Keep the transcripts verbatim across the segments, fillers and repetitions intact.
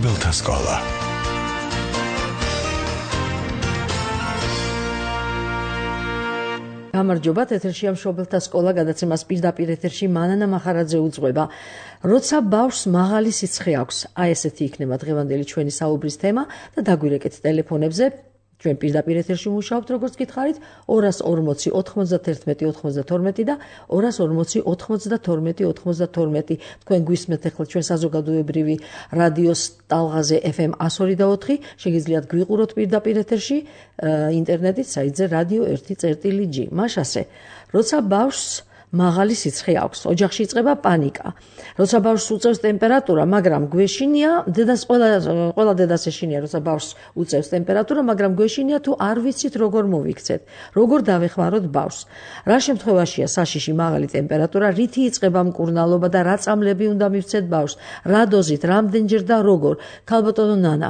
მშობელთა სკოლა. გამარჯობათ, ეთერშია მშობელთა სკოლა, გადაცემას პირდაპირ ეთერში მანანა მახარაძე უძღვება. როცა ბავშვს მაღალი სიცხე აქვს, აი ესეთი იქნება დღევანდელი ჩვენი საუბრის თემა და დაგვირეკეთ ტელეფონებზე. ჩვენ პირდაპირ ეთერში მუშაობთ, როგორც გითხარით, ორას ორმოცი ოთხმოცდათერთმეტი ოცდათორმეტი და ორას ორმოცი ოთხმოცდათორმეტი ოცდათორმეტი. თქვენ გვისმენთ ახლა ჩვენ საზოგადოებრივი რადიოს ტალღაზე ეფ ემ εκατო ორი და ოთხი, შეგიძლიათ გვიყუროთ პირდაპირ ეთერში ინტერნეტით საიტზე რადიო ერთი წერტილი ჯი. მაშასე, როცა ბავშვს მაღალი სიცხე აქვს, ოჯახში იწყება პანიკა. როცა ბავშვს უწევს ტემპერატურა, მაგრამ გვეშინია, დედას ყველა ყველა დედას ეშინია, როცა ბავშვს უწევს ტემპერატურა, მაგრამ გვეშინია თუ არ ვიცით როგორ მოვიქცეთ, როგორ დავეხმაროთ ბავშვს. რა შემთხვევაშია საშიში მაღალი ტემპერატურა, რითი იწყება მკურნალობა და რა წამლები უნდა მივცეთ ბავშვს, რა დოზით, რამდენჯერ და როგორ. ქალბატონო ნანა,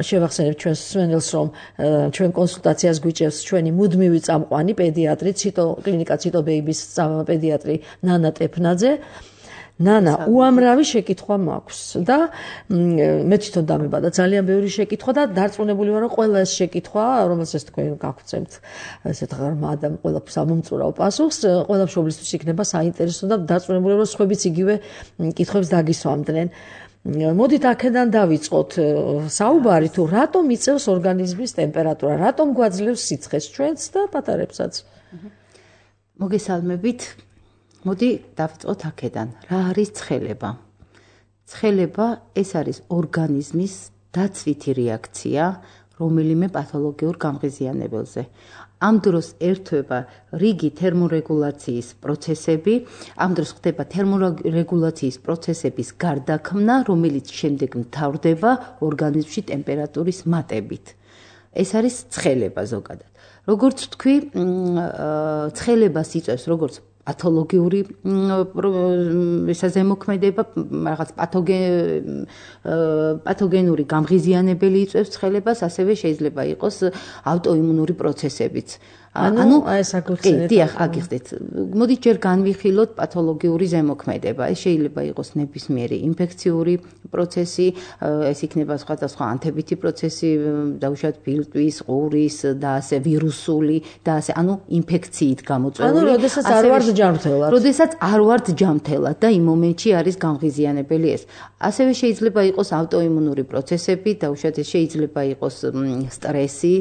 შევახსენებ ჩვენ სვენელს, რომ ჩვენ კონსულტაციას გვიჭერს ჩვენი მუდმივი წამყვანი პედიატრი, ციტო კლინიკა ციტო ბეიბის პედიატრი ნანა ტეფნაძე. ნანა, უამრავი შეკითხვა მაქვს და მე თვითონ დამებადა ძალიან ბევრი შეკითხვა და დარწმუნებული ვარ, რომ ყველა ეს შეკითხვა, რომელსაც თქვენ გაგვცემთ, ესეთ ღრმა და ყველაფერს ამომწურავ პასუხს, ყველა მშობლისთვის იქნება საინტერესო და დარწმუნებული ვარ, რომ სხვებიც იგივე კითხვებს დაგისვამდნენ. მოდით აქედან დავიწყოთ საუბარი, თუ რატომ იწევს ორგანიზმის ტემპერატურა, რატომ გვაძლევს სიცხეს ჩვენს და პატარებსაც. მოგესალმებით. მოდი დავიწყოთ აქედან. რა არის ცხელება? ცხელება ეს არის ორგანიზმის დაცვითი რეაქცია რომელიმე პათოლოგიურ გამღიზიანებელზე. ამ დროს ერთვება რიგი თერმორეგულაციის პროცესები, ამ დროს ხდება თერმორეგულაციის პროცესების გარდაქმნა, რომელიც შემდეგ მთავრდება ორგანიზმში ტემპერატურის მატებით. ეს არის ცხელება ზოგადად. როგორც თქვი, ცხელებას იწევს როგორც პათოლოგიური ზემოქმედება, რაღაც პათოგენური გამღიზიანებელი იწევს ცხელებას, ასევე შეიძლება იყოს ავტოიმუნური პროცესებიც. ანუ აი ეს აგიხსენეთ. დიახ, აგიხსნით. მოდით ჯერ განვიხილოთ პათოლოგიური ზემოქმედება. ეს შეიძლება იყოს ნებისმიერი ინფექციური პროცესი, ეს იქნება სხვადასხვა ანთებითი პროცესი, დაუშვათ ფილტვის, ყურის და ასე ვირუსული და ასე, ანუ ინფექციით გამოწვეული. ანუ როდესაც არ ვართ ჯანმრთელად. როდესაც არ ვართ ჯანმრთელად და იმ მომენტში არის გამღიზიანებელი ეს. ასევე შეიძლება იყოს ავტოიმუნური პროცესები, დაუშვათ ეს შეიძლება იყოს სტრესი,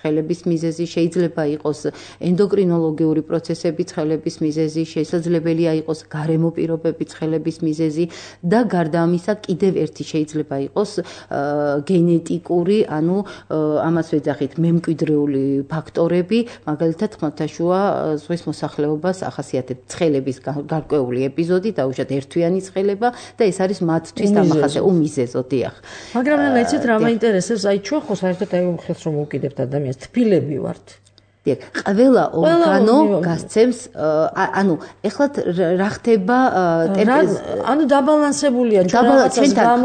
ცხელების მიზეზი, შეიძლება იყოს ენდოკრინოლოგიური პროცესები, ცხელების მიზეზი, შესაძლებელია იყოს გარემო პირობები, ცხელების მიზეზი და გარდა ამისა კიდევ ერთი შეიძლება იყოს გენეტიკური, ანუ ამას ვეძახით მემკვიდრეული ფაქტორები, მაგალითად ხმელთაშუა ზღვის მოსახლეობას ახასიათებს ცხელების გარკვეული ეპიზოდი, დაუშვათ ერთვიანი ცხელება და ეს არის მათთვის დამახასე უმიზეზო, დიახ. მაგრამ რა იცით, რა მაინტერესებს, აი ჩვენ ხო საერთოდ აი ხელს რომ მოვკიდებთ ადამიანს თბილები ვართ. დიახ, ყველა ორგანო გასცემს, ანუ ეხლა რა ხდება, ანუ დაბალანსებულია ჩვენთან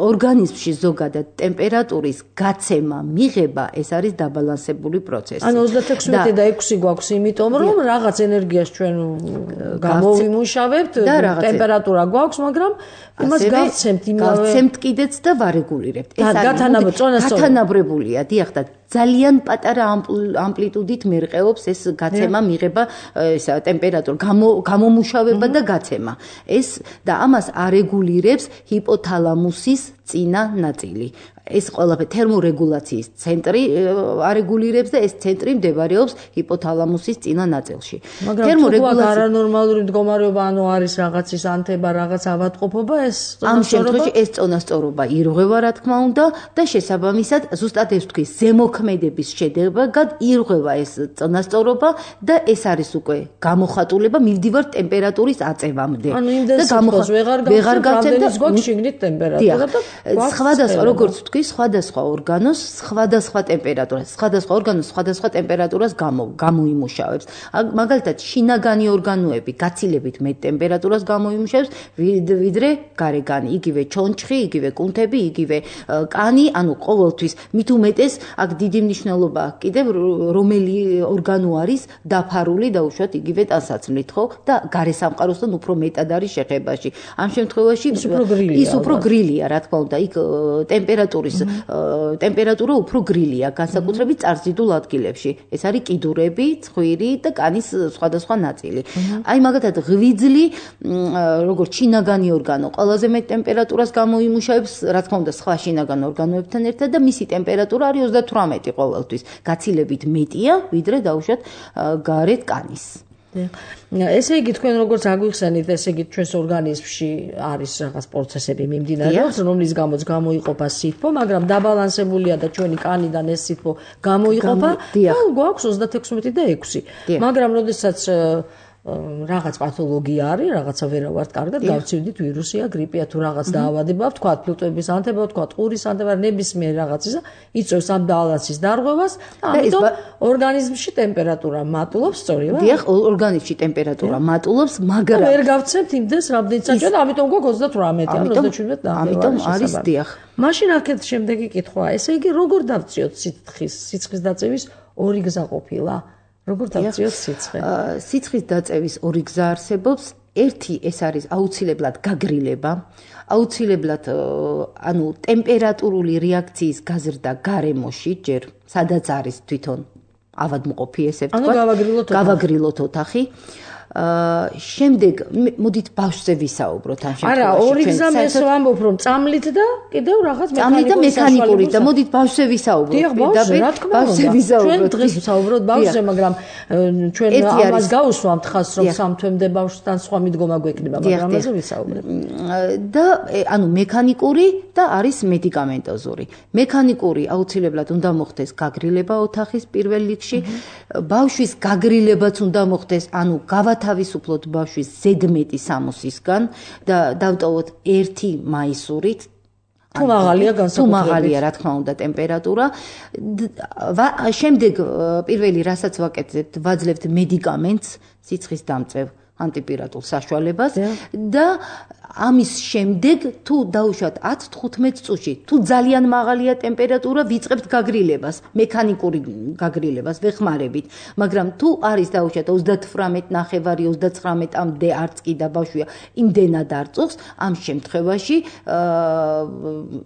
ორგანიზმში ზოგადად ტემპერატურის გაცემა, მიღება, ეს არის დაბალანსებული პროცესი. ანუ ოცდაექვსი და ექვსი გვაქვს, იმიტომ რომ რაღაც ენერგიას ჩვენ გამოვიმუშავებთ, ტემპერატურა გვაქვს, მაგრამ იმას გავცემთ იმავე გავცემთ კიდეც და ვარეგულირებთ. ეს არის გათანაბრებულია, დიახ, და ძალიან პატარა ამპლიტუდით მერყეობს ეს გაცემა, მიღება, ესა ტემპერატურა, გამომუშავება და გაცემა. ეს და ამას არეგულირებს ჰიპოთალამუსის წინა ნაწილი. ეს ყველაფერი თერმორეგულაციის ცენტრი არეგულირებს და ეს ცენტრი მდებარეობს ჰიპოთალამუსის წინა ნაწილში. თერმორეგულაცია არანორმალური მდგომარეობა, ანუ არის რაღაცის ანთება, რაღაც ავადმყოფობა, ეს ამ შემთხვევაში ეს წონასწორობა ირღვევა, რა თქმა უნდა, და შესაბამისად, ზუსტად ეს თქვი, ზემოქმედების შედეგად ირღვევა ეს წონასწორობა და ეს არის უკვე გამოხატულება მივდივარ ტემპერატურის აწევამდე. ანუ იმდენს ვეღარ გავცემთ, გოგ შიგნით ტემპერატურა და სხვადასხვა, როგორც ვთქვი, სხვადასხვა ორგანოს სხვადასხვა ტემპერატურას, სხვადასხვა ორგანოს სხვადასხვა ტემპერატურას გამო გამოიმუშავებს. მაგალითად, შინაგანი ორგანოები გაცილებით მეტ ტემპერატურას გამოიმუშავებს, ვიდრე გარეგანი, იგივე ჩონჩხი, იგივე კუნთები, იგივე კანი, ანუ ყოველთვის მით უმეტეს აქ დიდი მნიშვნელობა აქვს კიდევ რომელი ორგანო არის დაფარული დაუშვათ იგივე ტანსაცმლით, ხო? და გარესამყაროსთან უფრო მეტად არის შეხებაში. ამ შემთხვევაში ის უფრო გრილია, რა თქმა უნდა, იქ ტემპერატურის ტემპერატურა უფრო გრილია, განსაკუთრებით წარსიდულ ადგილებში. ეს არის კიდურები, ცხვირი და კანის სხვადასხვა ნაწილი. აი მაგათად ღვიძლი, როგორც შინაგანი ორგანო, ყველაზე მეტ ტემპერატურას გამოიმუშავებს, რა თქმა უნდა, სხვა შინაგან ორგანოებთან ერთად და მისი ტემპერატურა არის ოცდათვრამეტი ყოველთვის. გაცილებით მეტია, ვიდრე დაუშვათ გარეთ კანის. ესე იგი თქვენ როგორც აგვიხსენით, ესე იგი ჩვენს ორგანიზმში არის რაღაც პროცესები მიმდინარეობს, რომლის გამოც გამოიყოფა სითბო, მაგრამ დაბალანსებულია და ჩვენი კანიდან ეს სითბო გამოიყოფა და გვაქვს ოცდათექვსმეტი და ექვსი. მაგრამ როდესაც რაღაც პათოლოგია არის, რაღაცა ვერ ვართ კარგად, გავცივდით ვირუსია, გრიპია თუ რაღაც დაავადება, თქვა ფილტვების ანთება, თქვა ყურის ანთება, ნებისმიერ რაღაცისა, იწვევს ამ ბალანსის დარღვევას, ამიტომ ორგანიზმში ტემპერატურა მატულობს, სწორია? დიახ, ორგანიზმში ტემპერატურა მატულობს, მაგრამ ვერ გავცემთ იმდეს რამდენიც საჭიროა, ამიტომ გვაქვს ოცდათვრამეტი, ან ოცდაშვიდმეტი და ამიტომ არის დიახ. მაშინ აქეთ შემდეგი კითხვაა, ესე იგი როგორ დავწიოთ სიცხის, სიცხის დაწევის ორი გზა ყოფილა? როგორ დავწიოთ სიცხე? სიცხის დაწევის ორი გზა არსებობს. ერთი ეს არის აუცილებლად გაგრილება, აუცილებლად ანუ ტემპერატურული რეაქციის გაზრდა გარემოში, ჯერ სადაც არის თვითონ ავადმყოფი, ესე ვთქვა. ანუ გავაგრილოთ ოთახი. გავაგრილოთ ოთახი. აა შემდეგ მოდით ბავშვზე ვისაუბროთ ამ შემთხვევაში. არა, ორი გზა მეს ვამბობ, რომ წამლით და კიდევ რაღაც მეკანიკური და მექანიკური და მოდით ბავშვზე ვისაუბროთ. ბავშვზე ვისაუბროთ. ჩვენ დღეს ვისაუბროთ ბავშვზე, მაგრამ ჩვენ ამას გავუსვამთ ხას, რომ სამ თვემდე ბავშვთან სხვა მიდგომა გვექნება, მაგრამ ამაზე ვისაუბრებთ. და ანუ მექანიკური და არის მედიკამენტოზური. მექანიკური აუცილებლად უნდა მოხდეს გაგრილება ოთახის პირველ რიგში. ბავშვის გაგრილებაც უნდა მოხდეს, ანუ გავა თავისუფლოთ ბავშვის ზედმეტი სამოსისგან და დავტოვოთ ერთი მაისურით. თუ მაღალია განსაკუთრებით. თუ მაღალია, რა თქმა უნდა, ტემპერატურა. შემდეგ პირველი რასაც ვაკეთებთ, ვაძლევთ მედიკამენტს, სიცხის დამწევ ანტიპირატულ საშუალებას და ამის შემდეგ თუ დაუშვათ ათს თხუთმეტ წუთში, თუ ძალიან მაღალია ტემპერატურა, ვიწყებთ გაგრილებას, მექანიკური გაგრილებას, ვეხმარებით. მაგრამ თუ არის დაუშვათ ოცდათვრამეტი ნახევარი, ოცდაცხრამეტამდე არც კი და ბავშვია იმდენად არ წუხს, ამ შემთხვევაში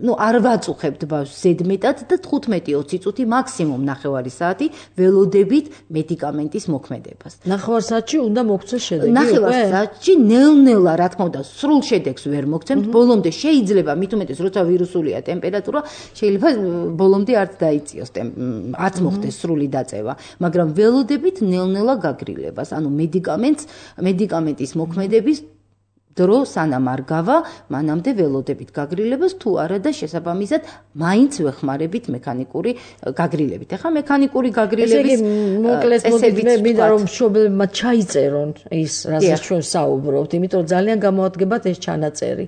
ნუ არ ვაწუხებთ ბავშვს ზედმეტად და თხუთმეტი ოცი წუთი მაქსიმუმ ნახევარი საათი ველოდებით მედიკამენტის მოქმედებას. ნახევარ საათში უნდა მოგცეს შედეგი. ნახევარ საათში ნელ-ნელა, რა თქმა უნდა, სრულ შედეგს ვერ მოგცემთ. ბოლომდე შეიძლება, მით უმეტეს, როცა ვირუსულია ტემპერატურა, შეიძლება ბოლომდე არც დაიწიოს, არც მოხდეს სრული დაწევა, მაგრამ ველოდებით ნელ-ნელა გაგრილებას, ანუ მედიკამენტს, მედიკამენტის მოქმედების დრო სანამ არ გავა, მანამდე ველოდებით გაგრილებას, თუ არა და შესაბამისად მაინც ვეხმარებით მექანიკური გაგრილებით. ეხლა მექანიკური გაგრილების მოკლედ მოდით, მინდა რომ მშობლებმა ჩაიწერონ ის, რასაც ჩვენ საუბრობთ, იმიტომ რომ ძალიან გამოადგებათ ეს ჩანაწერი.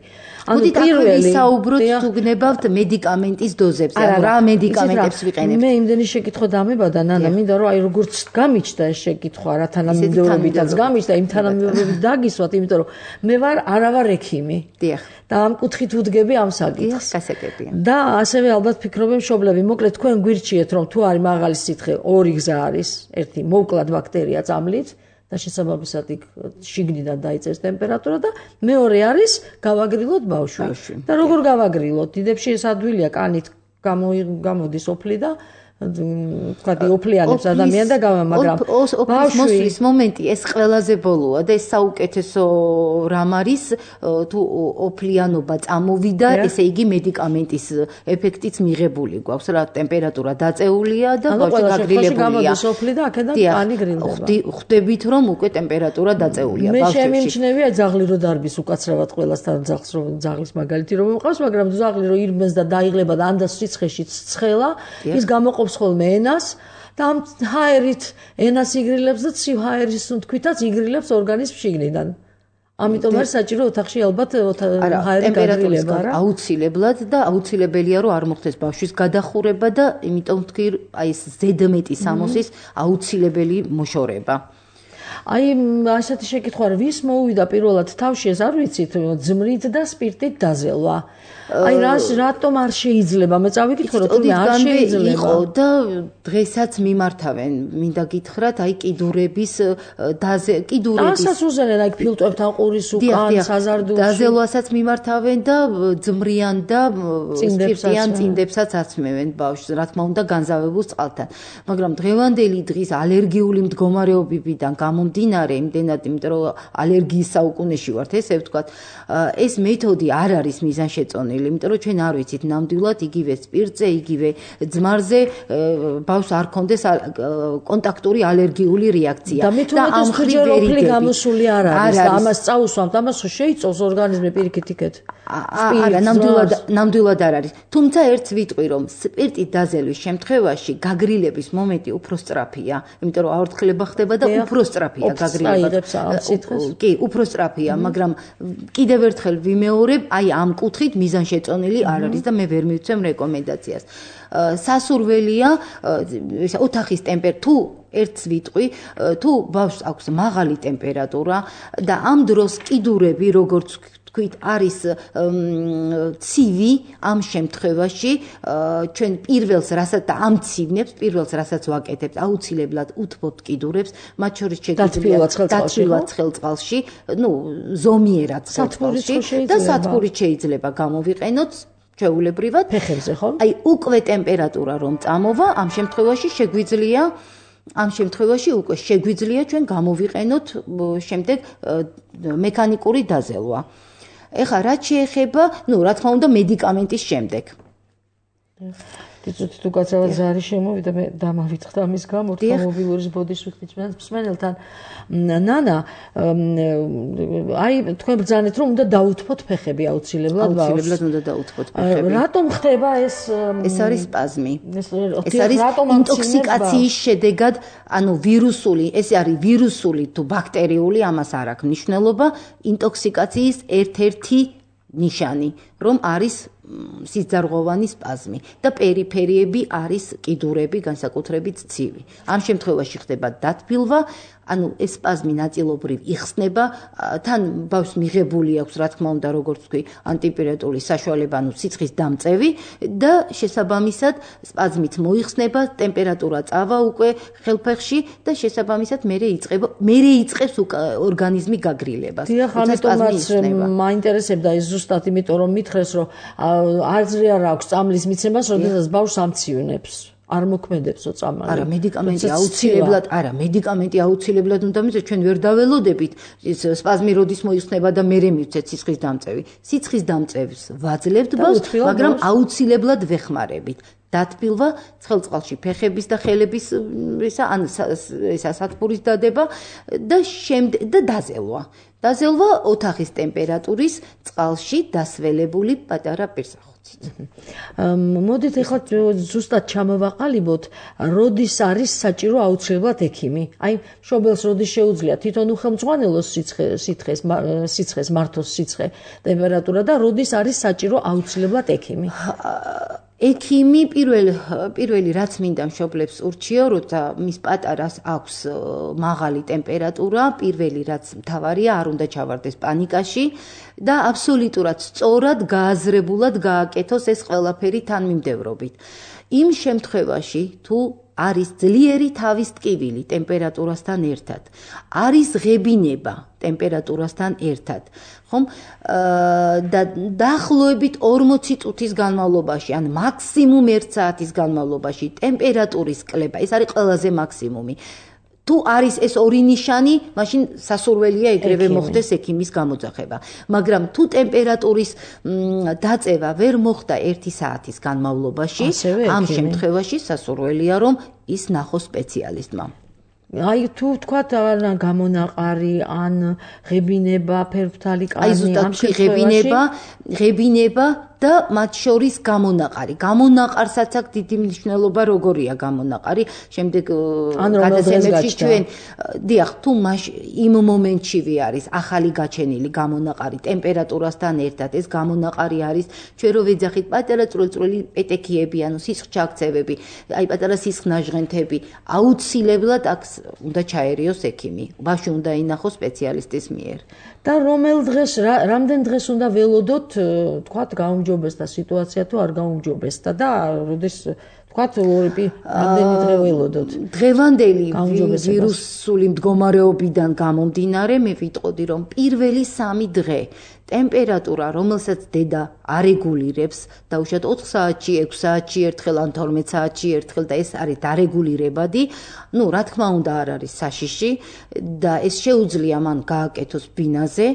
ანუ პირველი საუბროთ თუ გნებავთ მედიკამენტის დოზებზე, ანუ რა მედიკამენტებს ვიყენებთ. მე იმდენი შეკითხვა დამებადა, ნანა, მინდა რომ აი როგორც გამიჩნდა ეს შეკითხვა, რა თანამიმდევრობითაც გამიჩნდა, იმ თანამიმდევრობით დაგისვათ, იმიტომ რომ მე ვარ არა ვარ ექიმი. დიახ. და ამ კუთხით ვუდგები ამ საკითხს. გასაგებია. და ასევე ალბათ ფიქრობენ მშობლები, მოკლედ თქვენ გვირჩიეთ, რომ თუ არის მაღალი სითხე, ორი გზა არის, ერთი მოვკლათ ბაქტერია წამლით და შესაბამისად იქ შიგნიდან დაიწერს ტემპერატურა და მეორე არის გავაგრილოთ ბავშვი. და როგორ გავაგრილოთ? დიდებში ეს ადვილია, კანით გამოდის ოფლი და თქვათ ოფლიანებს ადამიანი და გავა, მაგრამ მოსვლის მომენტი ეს ყველაზე ბოლოა და ეს საუკეთესო რამ არის თუ ოფლიანობა წამოვიდა, ესე იგი მედიკამენტის ეფექტიც მიღებული გვაქვს, რა ტემპერატურა დაწეულია და ბავშვი გაგრილებულია. გამოდის ოფლი და აქედან კანი გრილდება. ხვდებით რომ უკვე ტემპერატურა დაწეულია ბავშვში. მე შემიმჩნევია ძაღლი რო დარბის უკაცრავად ყველასთან ძაღლს რო ძაღლის მაგალითი რომ მყავს, მაგრამ ძაღლი რო ირმეს და დაიღლება და ამ და სიცხეში ცხელა, ის გამოყოფს ხოლმე ენას და ამ ჰაერით ენას იგრილებს და ცივ ჰაერის თვითაც იგრილებს ორგანიზმს შიგნიდან. ამიტომ არის საჭირო ოთახში ალბათ ჰაერი გადრილება რა. აუცილებლად და აუცილებელია რომ არ მოხდეს ბავშვის გადახურება და იმიტომ თქვი აი ეს ზედმეტი სამოსის აუცილებელი მოშორება. აი ასეთი შეკითხვა ვის მოუვიდა პირველად თავში ეს არ ვიცით ძმრით და სპირტით დაზელვა. აი რას რატომ არ შეიძლება მე წავიკითხე რომ თუმცა არ შეიძლება იყო და დღესაც მიმართავენ მინდა გითხრათ აი კიდურების დაზე კიდურების ასაც უზენენ აი ფილტვებთან ყურის უკან საზარდულში დაზელვასაც მიმართავენ და ძმრიან და სპირტიან წინდებსაც აცმევენ ბავშვს რა თქმა უნდა განზავებულ წყალთან მაგრამ დღევანდელი დღის ალერგიული მდგომარეობიდან გამომდინარე იმდენად იმიტომ რომ ალერგიის საუკუნეში ვართ ესე ვთქვათ ეს მეთოდი არ არის მიზანშეწონილი იმიტომ რომ ჩვენ არ ვიცით ნამდვილად იგივე სპირტზე, იგივე ძმარზე ბავშვს არ კონდეს კონტაქტური ალერგიული რეაქცია და ამ ხრივ გამოსული არ არის და ამას წაუსვამთ, ამას შეიწოვს ორგანიზმი პირიქით იქეთ. არა, ნამდვილად ნამდვილად არ არის. თუმცა ერთს ვიტყვი რომ სპირტით დაზელვის შემთხვევაში გაგრილების მომენტი უფრო სწრაფია, იმიტომ რომ აორთქლება ხდება და უფრო სწრაფია გაგრილება. კი, უფრო სწრაფია, მაგრამ კიდევ ერთხელ ვიმეორებ, აი ამ კუთხით მიზან შეწონილი არ არის და მე ვერ მივცემ რეკომენდაციას. სასურველია ოთახის ტემპერატურა თუ ერთს ვიტყვი, თუ ბავშვს აქვს მაღალი ტემპერატურა და ამ დროს კიდურები როგორც თქვით არის ცივი ამ შემთხვევაში ჩვენ პირველს რასაც და ამ ცივნებს პირველს რასაც ვაკეთებთ აუცილებლად უთბობთ კიდურებს მათ შორის შეგვიძლია დათბილად ცხელწყალში ნუ ზომიერად ცხელწყალში და სათბურით შეიძლება გამოვიყენოთ ჩვეულებრივად ფეხებზე ხო? აი უკვე ტემპერატურა რომ წამოვა ამ შემთხვევაში შეგვიძლია ამ შემთხვევაში უკვე შეგვიძლია ჩვენ გამოვიყენოთ შემდეგ მექანიკური დაზელვა. ეხლა რაც შეეხება, ნუ რა თქმა უნდა მედიკამენტის შემდეგ. იცით თუ გაცავად ზარი შემოვიდა მე დამავიწყდა ამის გამო მობილურის ბოდიშფიქრის მსმენელთან ნანა აი თქვენ ბრძანეთ რომ უნდა დაუთმოთ ფეხები აუცილებლად ბავშვს აუცილებლად უნდა დაუთმოთ ფეხები რატომ ხდება ეს ეს არის სპაზმი ეს არის ინტოქსიკაციის შედეგად ანუ ვირუსული ეს არის ვირუსული თუ ბაქტერიული ამას არ აქვს მნიშვნელობა ინტოქსიკაციის ერთ-ერთი ნიშანი რომ არის სიძარღვოვანი სპაზმი და პერიფერიები არის კიდურები განსაკუთრებით ცივი. ამ შემთხვევაში ხდება დათბილვა, ანუ ეს სპაზმი ნაწილობრივ იხსნება, თან ბავშვს მიღებული აქვს, რა თქმა უნდა, როგორც ვთქვი, ანტიპირეტული საშუალება, ანუ სიცხის დამწევი და შესაბამისად სპაზმით მოიხსნება, ტემპერატურა წავა უკვე ხელფეხში და შესაბამისად მერე იწყება, მერე იწყებს ორგანიზმი გაგრილებას. დიახ, ამიტომაც მაინტერესებდა ეს ზუსტად იმიტომ რომ მითხრეს რომ აზრი არ აქვს წამლის მიცემას, როდესაც ბავშვს ამცივნებს. არ მოქმედებსო წამა. არა, მედიკამენტი აუცილებლად, არა, მედიკამენტი აუცილებლად უნდა მიცეთ, ჩვენ ვერ დაველოდებით, ის სპაზმი როდის მოიხსნება და მერე მივცეთ სიცხის დამწევი. სიცხის დამწევს ვაძლევთ ბავშვს, მაგრამ აუცილებლად ვეხმარებით. დათბილვა, ცხელწყალში ფეხების და ხელების ისა ან ისა სათბურის დადება და შემდეგ და დაზელვა. დაზელვა ოთახის ტემპერატურის წყალში დასველებული პატარა პირსახოცით. მოდით ეხლა ზუსტად ჩამოვაყალიბოთ, როდის არის საჭირო აუცილებლად ექიმი. აი, მშობელს როდის შეუძლია თვითონ უხელმძღვანელოს სიცხეს, სიცხეს მართოს სიცხე, ტემპერატურა და როდის არის საჭირო აუცილებლად ექიმი. ექიმი პირველ პირველი რაც მინდა მშობლებს ურჩიო, როცა მის პატარას აქვს მაღალი ტემპერატურა, პირველი რაც მთავარია, არ უნდა ჩავარდეს პანიკაში და აბსოლუტურად სწორად გააზრებულად გააკეთოს ეს ყველაფერი თანმიმდევრობით. იმ შემთხვევაში, თუ არის ძლიერი თავის ტკივილი ტემპერატურასთან ერთად, არის ღებინება ტემპერატურასთან ერთად, ხომ? და დაახლოებით ორმოცი წუთის განმავლობაში, ან მაქსიმუმ ერთ საათის განმავლობაში ტემპერატურის კლება, ეს არის ყველაზე მაქსიმუმი. თუ არის ეს ორი ნიშანი, მაშინ სასურველია ეგრევე მოხდეს ექიმის გამოძახება. მაგრამ თუ ტემპერატურის დაწევა ვერ მოხდა ერთი საათის განმავლობაში, ამ შემთხვევაში სასურველია რომ ის ნახოს სპეციალისტმა. აი თუ თქვათ ან გამონაყარი, ან ღებინება, ფერფთალი კანი, ამ შემთხვევაში ღებინება, ღებინება და მათ შორის გამონაყარი. გამონაყარსაც აქვს დიდი მნიშვნელობა, როგორია გამონაყარი. შემდეგ გადაცემებში ჩვენ დიახ, თუ მაშ იმ მომენტშივე არის ახალი გაჩენილი გამონაყარი ტემპერატურასთან ერთად, ეს გამონაყარი არის ჩვენ რო ვეძახით პატარა წვრილ-წვრილი პეტექიები, ანუ სისხლჩაქცევები, აი პატარა სისხლნაჟღენთები, აუცილებლად აქ უნდა ჩაერიოს ექიმი. ბავშვი უნდა ინახოს სპეციალისტის მიერ. და რომელ დღეს რამდენ დღეს უნდა ველოდოთ, თქვათ, გაუმჯობესდა სიტუაცია თუ არ გაუმჯობესდა და როდის თქვათ ორი რამდენი დღე ველოდოთ. დღევანდელი ვირუსული მდგომარეობიდან გამომდინარე, მე ვიტყოდი, რომ პირველი სამი დღე ტემპერატურა, რომელსაც დედა არეგულირებს, დაუშვათ ოთხ საათში, ექვს საათში ერთხელ ან თორმეტ საათში ერთხელ და ეს არის დარეგულირებადი, ну, რა თქმა უნდა არ არის საშიში და ეს შეუძლია მან გააკეთოს ბინაზე,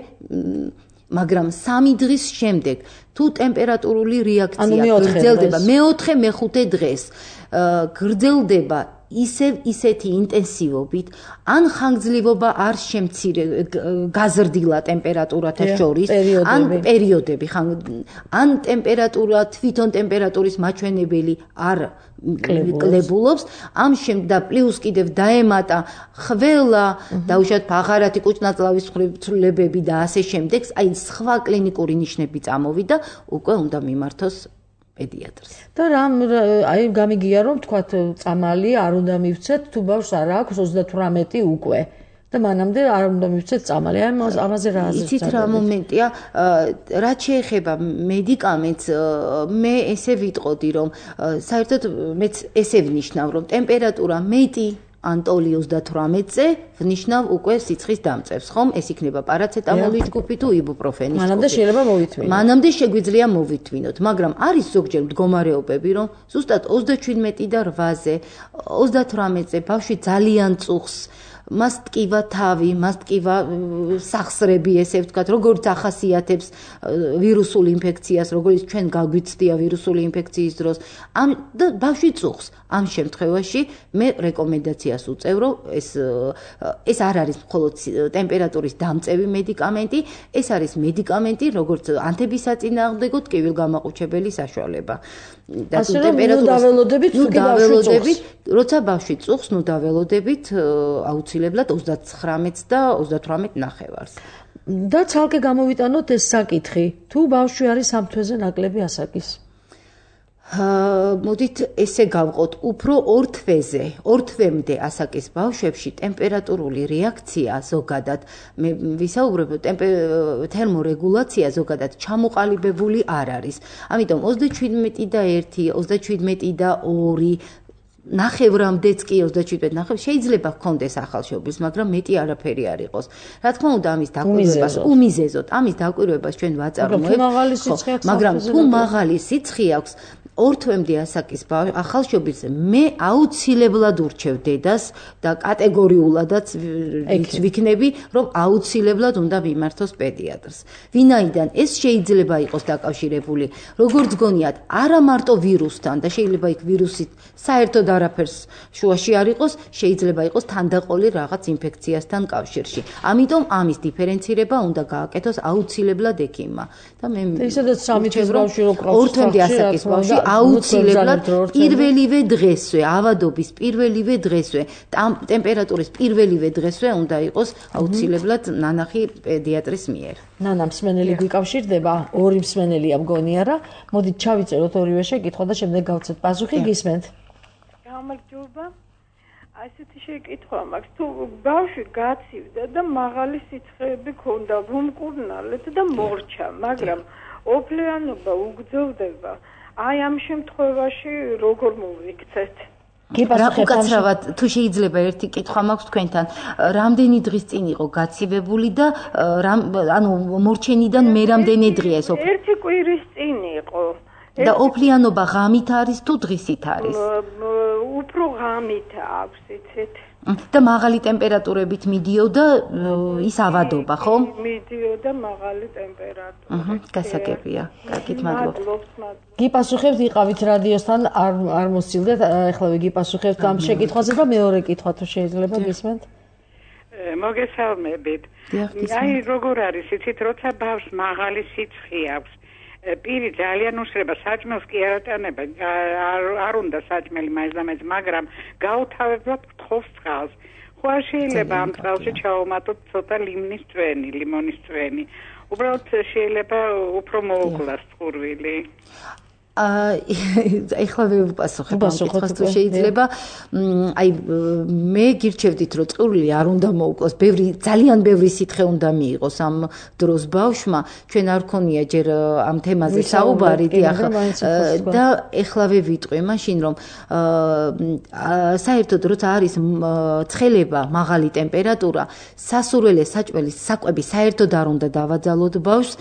მაგრამ სამი დღის შემდეგ თუ ტემპერატურული რეაქცია გრძელდება მეოთხე მეხუთე დღეს გრძელდება ისევ ისეთი ინტენსივობით ან ხანგრძლივობა არ შემცირე გაზრდილა ტემპერატურათა შორის ან პერიოდები ან ტემპერატურა თვითონ ტემპერატურის მაჩვენებელი არ კლებულობს ამ შემდეგ და პლუს კიდევ დაემატა ხველა დაუშვათ ფაღარათი კუჭნაწლავის ცვლილებები და ასე შემდეგ აი სხვა კლინიკური ნიშნები წამოვიდა უკვე უნდა მიმართოს პედიატრს. და რამ აი გამიგია რომ თქვათ წამალი არ უნდა მივცეთ თუ ბავშვს არ აქვს ოცდათვრამეტი უკვე და მანამდე არ უნდა მივცეთ წამალი. აი ამაზე რა აზრია? იცით რა მომენტია, რაც შეეხება მედიკამენტს, მე ესე ვიტყოდი რომ საერთოდ მეც ესე ვნიშნავ რომ ტემპერატურა მეტი ანტოლი ოცდათვრამეტზე ვნიშნავ უკვე სიცხის დამწევს, ხომ? ეს იქნება პარაცეტამოლის ჯგუფი თუ იბუპროფენის ჯგუფი. მანამდე შეიძლება მოვითმინოთ. მანამდე შეგვიძლია მოვითმინოთ, მაგრამ არის ზოგჯერ მდგომარეობები, რომ ზუსტად ოცდაჩვიდმეტი და რვაზე, ოცდათვრამეტზე ბავშვი ძალიან წუხს, მას ტკივა თავი, მას ტკივა სახსრები, ესე ვთქვათ, როგორც ახასიათებს ვირუსულ ინფექციას, როგორც ჩვენ გაგვიცდია ვირუსული ინფექციის დროს, ამ და ბავშვი წუხს. ამ შემთხვევაში მე რეკომენდაციას უწევ, რომ ეს ეს არ არის მხოლოდ ტემპერატურის დამწევი მედიკამენტი, ეს არის მედიკამენტი, როგორც ანთებისაწინააღმდეგო ტკივილგამაყუჩებელი საშუალება. და თუ ტემპერატურას დაველოდებით, თუ დაველოდებით, როცა ბავშვი წუხს, ნუ დაველოდებით აუცილებლად ოცდათხრამეტს და ოცდათვრამეტ ნახევარს. და ცალკე გამოვიტანოთ ეს საკითხი, თუ ბავშვი არის ამ თვეზე ნაკლები ასაკის. მოდით ესე გავყოთ, უფრო ორ თვეზე, ორ თვემდე ასაკის ბავშვებში ტემპერატურული რეაქცია ზოგადად, მე ვისაუბრებ, თერმორეგულაცია ზოგადად ჩამოყალიბებული არ არის. ამიტომ ოცდაჩვიდმეტი და ერთი, ოცდაჩვიდმეტი და ორი ნახევრამდეც კი ოცდაჩვიდმეტი ნახევრი შეიძლება ჰქონდეს ახალშობილს, მაგრამ მეტი არაფერი არ იყოს. რა თქმა უნდა, ამის დაკვირვებას უმიზეზოდ, ამის დაკვირვებას ჩვენ ვაწარმოებთ, მაგრამ თუ მაღალი სიცხე აქვს ორ თვემდე ასაკის ახალშობილს მე აუცილებლად ურჩევ დედას და კატეგორიულადაც ვიქნები, რომ აუცილებლად უნდა მიმართოს პედიატრს. ვინაიდან ეს შეიძლება იყოს დაკავშირებული, როგორც გონიათ, არა მარტო ვირუსთან და შეიძლება იქ ვირუსით საერთოდ არაფერს შუაში არ იყოს, შეიძლება იყოს თანდაყოლი რაღაც ინფექციასთან კავშირში. ამიტომ ამის დიფერენცირება უნდა გააკეთოს აუცილებლად ექიმმა. და მე ისედაც სამი თვის ბავშვი რო კრავს ორ თვემდე ასაკის ბავშვი აუცილებლად პირველივე დღესვე, ავადობის პირველივე დღესვე, ტემპერატურის პირველივე დღესვე უნდა იყოს აუცილებლად ნანახი პედიატრის მიერ. ნანა მსმენელი გვიკავშირდება, ორი მსმენელია მგონია რა. მოდით ჩავიწეროთ ორივე შეკითხვა და შემდეგ გავცეთ პასუხი, გისმენთ. გამარჯობა. ასეთი შეკითხვა მაქვს, თუ ბავშვი გაცივდა და მაღალი სიცხეები ქონდა, ვუმკურნალეთ და მორჩა, მაგრამ ოფლიანობა უგრძელდება. აი ამ შემთხვევაში როგორ მოვიქცეთ? უკაცრავად თუ შეიძლება ერთი კითხვა მაქვს თქვენთან, რამდენი დღის წინ იყო გაცივებული და ანუ მორჩენიდან მე რამდენი დღეა ეს? ერთი კვირის წინ იყო. და ოფლიანობა ღამით არის თუ დღისით არის? უფრო ღამით აქვს, იცით? და მაღალი ტემპერატურებით მიდიოდა ის ავადობა, ხო? მიდიოდა მაღალი ტემპერატურით. აჰა, გასაგებია. კარგით, მადლობთ. გიპასუხებთ, იყავით რადიოსთან, არ არ მოსცილდეთ, ახლა ვიგიპასუხებთ ამ შეკითხვაზე და მეორე კითხვა თუ შეიძლება გისმენთ? მოგესალმებით. აი როგორ არის, იცით, როცა ბავშვს მაღალი სიცხე აქვს, პირი ძალიან უსრება საჭმელს კი არ ატანება არ უნდა საჭმელი მაინც და მაინც მაგრამ გაუთავებლად გთხოვს წყალს ხო არ შეიძლება ამ წყალში ჩაუმატოთ ცოტა ლიმონის წვენი ლიმონის წვენი უბრალოდ შეიძლება უფრო მოუკლას წყურვილი აა ეხლა ვერ ვპასუხებ ამ კითხვას თუ შეიძლება აი მე გირჩევდით რომ წყურვილი არ უნდა მოუკლოს ბევრი ძალიან ბევრი სითხე უნდა მიიღოს ამ დროს ბავშვმა ჩვენ არ ქონია ჯერ ამ თემაზე საუბარი დიახ და ეხლავე ვიტყვი მაშინ რომ აა საერთოდ როცა არის ცხელება მაღალი ტემპერატურა სასურველე საჭმელის საკვები საერთოდ არ უნდა დავაძალოთ ბავშვს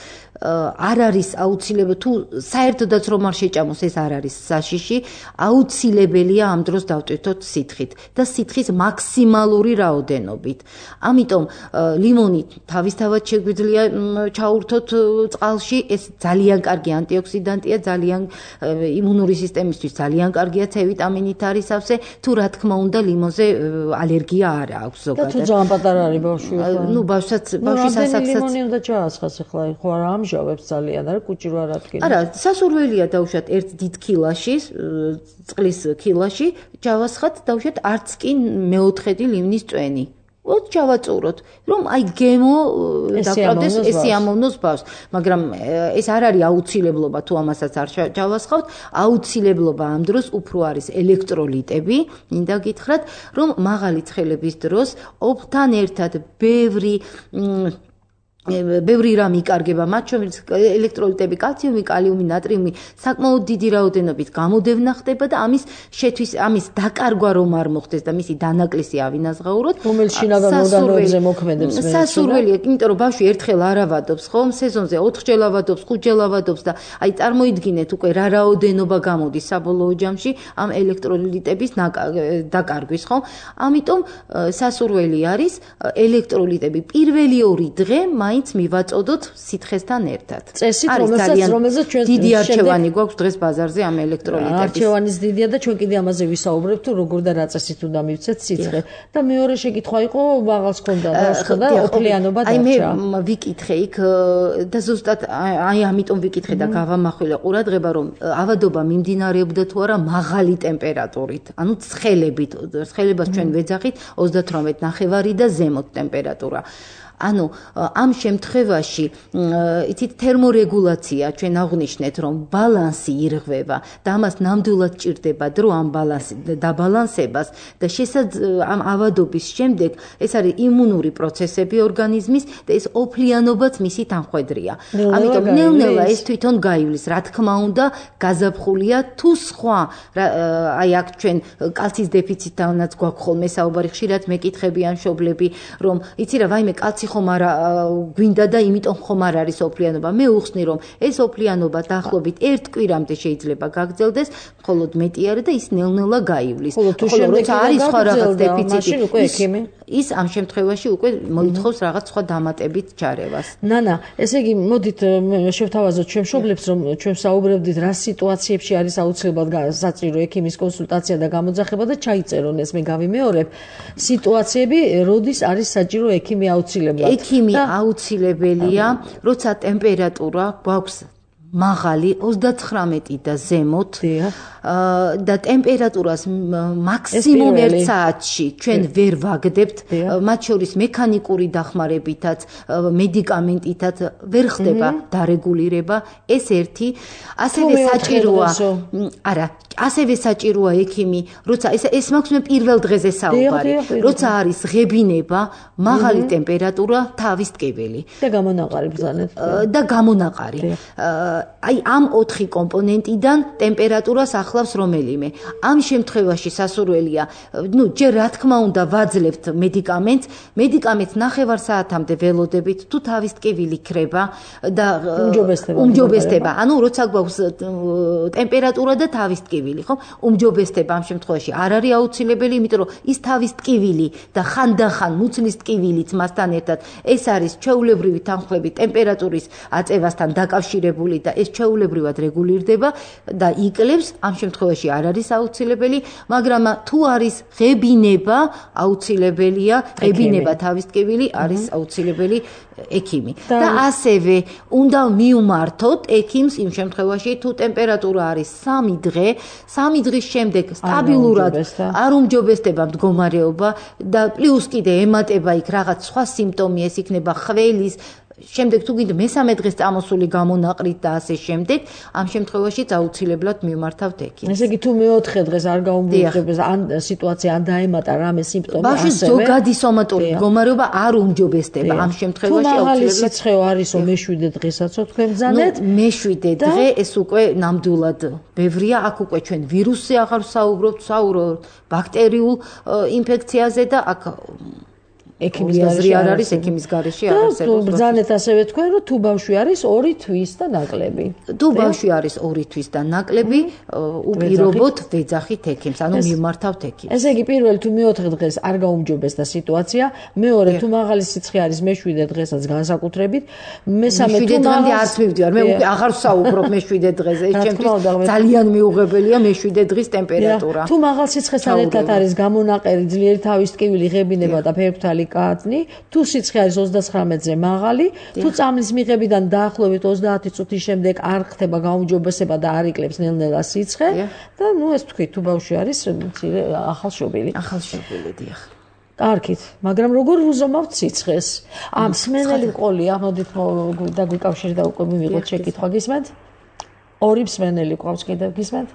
არ არის აუცილებელი თუ საერთოდაც რომ არ შეჭამოს ეს არ არის საშიში აუცილებელია ამ დროს დავტვირთოთ სითხით და სითხის მაქსიმალური რაოდენობით ამიტომ ლიმონი თავისთავად შეგვიძლია ჩაურთოთ წყალში ეს ძალიან კარგი ანტიოქსიდანტია ძალიან იმუნური სისტემისთვის ძალიან კარგია C ვიტამინით არის ავსე თუ რა თქმა უნდა ლიმონზე ალერგია არ აქვს ზოგადად და თუ ძალიან პატარა არის ბავშვი ნუ ბავშვსაც ბავშვის ასაკსაც ლიმონი უნდა ჩაასხას ახლა ხო არ ამჟავებს ძალიან არა კუჭი რა რადგენ არა სასურველია დავუშვათ ერთ დიდ ქილაში წყლის ქილაში ჯავასხათ დავუშვათ არც კი მეოთხედი ლიმნის წვენი ოთ ჩავაწუროთ რომ აი გემო დაკრავდეს ესე ამოვნოს ბავშვს მაგრამ ეს არ არის აუცილებლობა თუ ამასაც არ ჩავასხავთ აუცილებლობა ამ დროს უფრო არის ელექტროლიტები მინდა გითხრათ რომ მაღალი ცხელების დროს ოფთან ერთად ბევრი ბევრი რამ იკარგება მათ შორის ელექტროლიტები კალციუმი კალიუმი ნატრიუმი საკმაოდ დიდი რაოდენობით გამოდევნა ხდება და ამის შეთვის ამის დაკარგვა რომ არ მოხდეს და მისი დანაკლისი ავინაზღაუროთ რომელიც შინაგან ორგანოებზე მოქმედებს მე სასურველია იმიტომ რომ ბავშვი ერთხელ არ ავადობს ხო სეზონზე ოთხჯერ ავადობს ხუთჯერ ავადობს და აი წარმოიდგინეთ უკვე რა რაოდენობა გამოდის საბოლოო ჯამში ამ ელექტროლიტების დაკარგვის ხო ამიტომ სასურველი არის ელექტროლიტები პირველი ორი დღე მაინც მივაწოდოთ სითხესთან ერთად. წესით რომელსაც რომელზეც ჩვენ დიდი არჩევანი გვაქვს დღეს ბაზარზე ამ ელექტროლიტების. არჩევანის დიდია და ჩვენ კიდე ამაზე ვისაუბრებთ თუ როგორ და რა წესით უნდა მივცეთ სითხე. და მეორე შეკითხვა იყო მაღალს ქონდა ბავშვს და ოფლიანობა დარჩა. აი მე ვიკითხე იქ და ზუსტად აი ამიტომ ვიკითხე და გავამახვილე ყურადღება რომ ავადობა მიმდინარეობდა თუ არა მაღალი ტემპერატურით. ანუ ცხელებით, ცხელებას ჩვენ ვეძახით ოცდათვრამეტ ნახევარი და ზემოთ ტემპერატურა. ანუ ამ შემთხვევაში იცით თერმორეგულაცია ჩვენ აღვნიშნეთ რომ ბალანსი ირღვევა და ამას ნამდვილად ჭირდება დრო ამ ბალანსი დაბალანსებას და შესაძლოა ამ ავადობის შემდეგ ეს არის იმუნური პროცესები ორგანიზმის და ეს ოფლიანობაც მისი თანხვედრია ამიტომ ნელ-ნელა ეს თვითონ გაივლის რა თქმა უნდა გაზაფხულია თუ სხვა აი აქ ჩვენ კალციის დეფიციტთანაც გვაქვს ხოლმე საუბარი ხშირად მეკითხებიან მშობლები რომ იცი რა ვაიმე კალცი ხომ არა გვინდა და იმიტომ ხომ არ არის ოფლიანობა მე უხსნი რომ ეს ოფლიანობა დაახლოებით ერთ კვირამდე შეიძლება გაგრძელდეს მხოლოდ მეტი არა და ის ნელ-ნელა გაივლის ხოლო როცა არის სხვა რაღაც დეფიციტი ის ამ შემთხვევაში უკვე მოითხოვს რაღაც სხვა დამატებით ჩარევას ნანა ესე იგი მოდით შევთავაზოთ ჩვენ მშობლებს რომ ჩვენ საუბრობდით რა სიტუაციებში არის აუცილებლად საჭირო ექიმის კონსულტაცია და გამოძახება და ჩაიწერონ ეს მე გავიმეორებ სიტუაციები როდის არის საჭირო ექიმი აუცილებლად ექიმი აუცილებელია როცა ტემპერატურა გვაქვს მაღალი ოცდათხრამეტი და ზემოთ და ტემპერატურას მაქსიმუმ ერთ საათში ჩვენ ვერ ვაგდებთ მათ შორის მექანიკური დახმარებითაც მედიკამენტითაც ვერ ხდება დარეგულირება ეს ერთი ასევე საჭიროა არა ასევე საჭიროა ექიმი როცა ეს ეს მაქვს მე პირველ დღეზე საუბარი როცა არის ღებინება მაღალი ტემპერატურა თავის ტკივილი და გამონაყარი ბრძანეთ და გამონაყარი აი ამ ოთხი კომპონენტიდან ტემპერატურას ახლავს რომელიმე ამ შემთხვევაში სასურველია ნუ ჯერ რა თქმა უნდა ვაძლევთ მედიკამენტს მედიკამენტს ნახევარ საათამდე ველოდებით თუ თავის ტკივილი ქრება და უმჯობესდება ანუ როცა გვაქვს ტემპერატურა და თავის ტკივილი ხო უმჯობესდება ამ შემთხვევაში არ არის აუცილებელი იმიტომ რომ ის თავის ტკივილი და ხანდახან მუცლის ტკივილიც მასთან ერთად ეს არის ჩვეულებრივი თანხლები ტემპერატურის აწევასთან დაკავშირებული და ეს ჩვეულებრივად რეგულირდება და იკლებს, ამ შემთხვევაში არ არის აუცილებელი, მაგრამ თუ არის ღებინება, აუცილებელია, ღებინება თავის ტკივილი არის აუცილებელი ექიმი. და ასევე უნდა მიუმართოთ ექიმს იმ შემთხვევაში, თუ ტემპერატურა არის სამი დღე, სამი დღის შემდეგ სტაბილურად არ უმჯობესდება მდგომარეობა და პლუს კიდე ემატება იქ რაღაც სხვა სიმპტომი, ეს იქნება ხველის შემდეგ თუ გინდა მესამე დღეს წამოსული გამონაყრით და ასე შემდეგ, ამ შემთხვევაში აუცილებლად მიმართავთ ექიმს. ესე იგი თუ მეოთხე დღეს არ გაუმჯობესებს ან სიტუაცია ან დაემატა რამე სიმპტომი ასევე ბავშვის ზოგადი სომატური მდგომარეობა არ უმჯობესდება ამ შემთხვევაში აუცილებლად სიცხე არისო მეშვიდე დღესაც თქვენ ბრძანეთ მეშვიდე დღე ეს უკვე ნამდვილად ბევრია აქ უკვე ჩვენ ვირუსზე აღარ ვსაუბრობთ საუბრობთ ბაქტერიულ ინფექციაზე და აქ ექიმის გარეშე არ არის ექიმის გარეშე არ არსებობს. ბრძანეთ ასევე თქვენ რომ თუ ბავშვი არის ორი თვის და ნაკლები. თუ ბავშვი არის ორი თვის და ნაკლები, უპირობოდ ვეძახით ექიმს, ანუ მიმართავთ ექიმს. ესე იგი პირველი თუ მეოთხე დღეს არ გაუმჯობესდა სიტუაცია, მეორე თუ მაღალი სიცხე არის მეშვიდე დღესაც განსაკუთრებით, მესამე თუ მაღალი არც მივდივარ, მე უკვე აღარ ვსაუბრობ მეშვიდე დღეზე, ეს ჩემთვის ძალიან მიუღებელია მეშვიდე დღის ტემპერატურა. თუ მაღალ სიცხესთან ერთად არის გამონაყერი, ძლიერი თავის ტკივილი, ღებინება და ფერფთალი კატნი, თუ სიცხე არის ოცდათხრამეტზე მაღალი, თუ წამლის მიღებიდან დაახლოებით ოცდაათი წუთის შემდეგ არ ხდება გაუმჯობესება და არ იკლებს ნელ-ნელა სიცხე და ნუ ეს თქვი თუ ბავშვი არის ახალშობილი. ახალშობილი დიახ. კარგით, მაგრამ როგორ ვუზომავთ სიცხეს? ამ მსმენელი მყოლია, მოდით დაგვიკავშირდა უკვე მივიღოთ შეკითხვა გისმენთ? ორი მსმენელი ყავს კიდევ გისმენთ?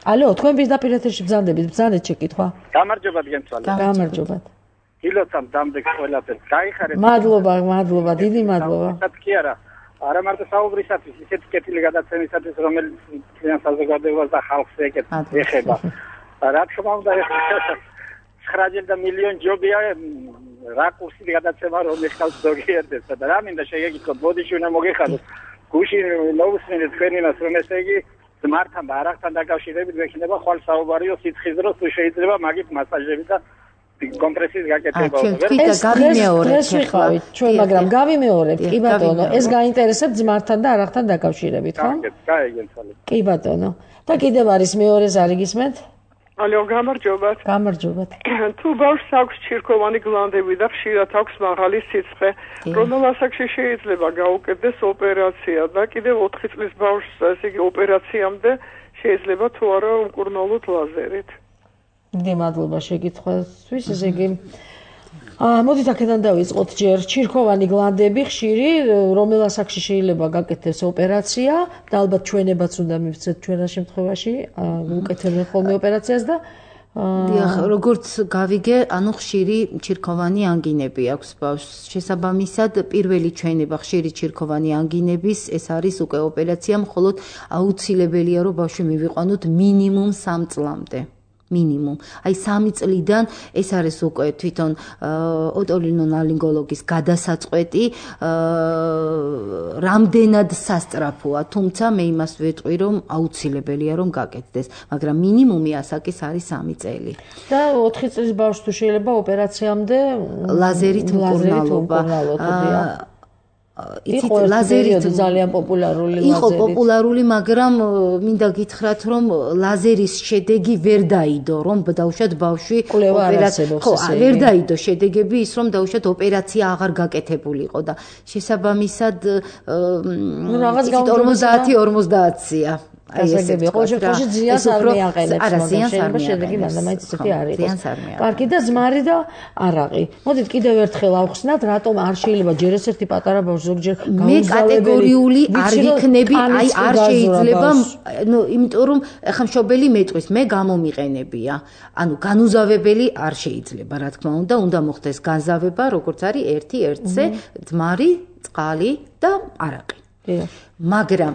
ალო, თქვენ პირდაპირ ეთერში ბრძანდებით, ბრძანეთ შეკითხვა. გამარჯობა გენცვალე. გამარჯობა. ილოცამ დამდეგ ყველაფერს. გაიხარეთ. მადლობა, მადლობა, დიდი მადლობა. კი არა. არა მარტო საუბრისათვის, ისეთ კეთილი გადაცემისათვის, რომელიც ძალიან საზოგადოებას და ხალხს ეხება. რა თქმა უნდა, ცხრა ჯერ და მილიონი ჯობია რა კურსით გადაცემა რომ ეხავს ზოგიერთებსა და რა მინდა შეგეკითხოთ, ბოდიში უნდა მოგეხადოთ. გუშინ მოусმინეთ თქვენინას რომ ესე იგი ძმართან და არახთან დაკავშირებით მექნება ხვალ საუბარიო სიცხის დროს თუ შეიძლება მაგით მასაჟები და კომპრესიის გაკეთება და გავიმეორებთ ეს ვიყავით ჩვენ მაგრამ გავიმეორებთ კი ბატონო ეს გაინტერესებთ ძმართან და არახთან დაკავშირებით ხო? გაიგენცვალე. კი ბატონო და კიდევ არის მეორე ზარი გისმენთ? ალო გამარჯობათ. გამარჯობათ. თუ ბავშვს აქვს ჩირქოვანი გლანდები და ხშირად აქვს მაღალი სიცხე, რომელ ასაკში შეიძლება გაუკეთდეს ოპერაცია და კიდევ ოთხი წლის ბავშვს ესე იგი ოპერაციამდე შეიძლება თუ არა უმკურნალოთ ლაზერით. დიდი მადლობა შეკითხვისთვის. ესე იგი აა მოდით აქედან დავიწყოთ ჯერ ჩირქოვანი გლანდები ხშირი რომელ ასაკში შეიძლება გაკეთდეს ოპერაცია და ალბათ ჩვენებაც უნდა მივცეთ ჩვენ რა შემთხვევაში უკეთებენ ხოლმე ოპერაციას და დიახ, როგორც გავიგე, ანუ ხშირი ჩირქოვანი ანგინები აქვს ბავშვს. შესაბამისად, პირველი ჩვენება ხშირი ჩირქოვანი ანგინების ეს არის უკვე ოპერაცია, მხოლოდ აუცილებელია რომ ბავშვი მივიყვანოთ მინიმუმ სამ წლამდე. მინიმუმ. აი სამი წლიდან ეს არის უკვე თვითონ ოტოლინოლარინგოლოგის გადასაწყვეტი, რამდენად სასწრაფოა, თუმცა მე იმას ვეტყვი, რომ აუცილებელია რომ გაკეთდეს, მაგრამ მინიმუმი ასაკის არის სამი წელი. და ოთხი წლის ბავშვს თუ შეიძლება ოპერაციამდე ლაზერით მკურნალობა. იცით ლაზერით ძალიან პოპულარული ლაზერი. იყო პოპულარული, მაგრამ მინდა გითხრათ, რომ ლაზერის შედეგი ვერ დაიდო, რომ დაუშვათ ბავშვი ოპერაცია. ხო, ვერ დაიდო შედეგები ის, რომ დაუშვათ ოპერაცია აღარ გაკეთებულიყო და შესაბამისად ორმოცდაათი ორმოცდაათია. აი ესე ყოველ შემთხვევაში ზიანს არ მიაყენებს, მაგრამ შეიძლება შედეგი მანდამაიც ისეთი არ იყოს. კარგი და ზმარი და არაყი. მოდით კიდევ ერთხელ ავხსნათ, რატომ არ შეიძლება ჯერ ესეთი პატარა ბავშვი ზოგჯერ მე კატეგორიული არ ვიქნები, აი არ შეიძლება, ნუ იმიტომ რომ ახლა მშობელი მეტყვის, მე გამომიყენებია. ანუ განუზავებელი არ შეიძლება, რა თქმა უნდა, უნდა მოხდეს განზავება, როგორც არის ერთი ერთზე, ძმარი, წყალი და არაყი. მაგრამ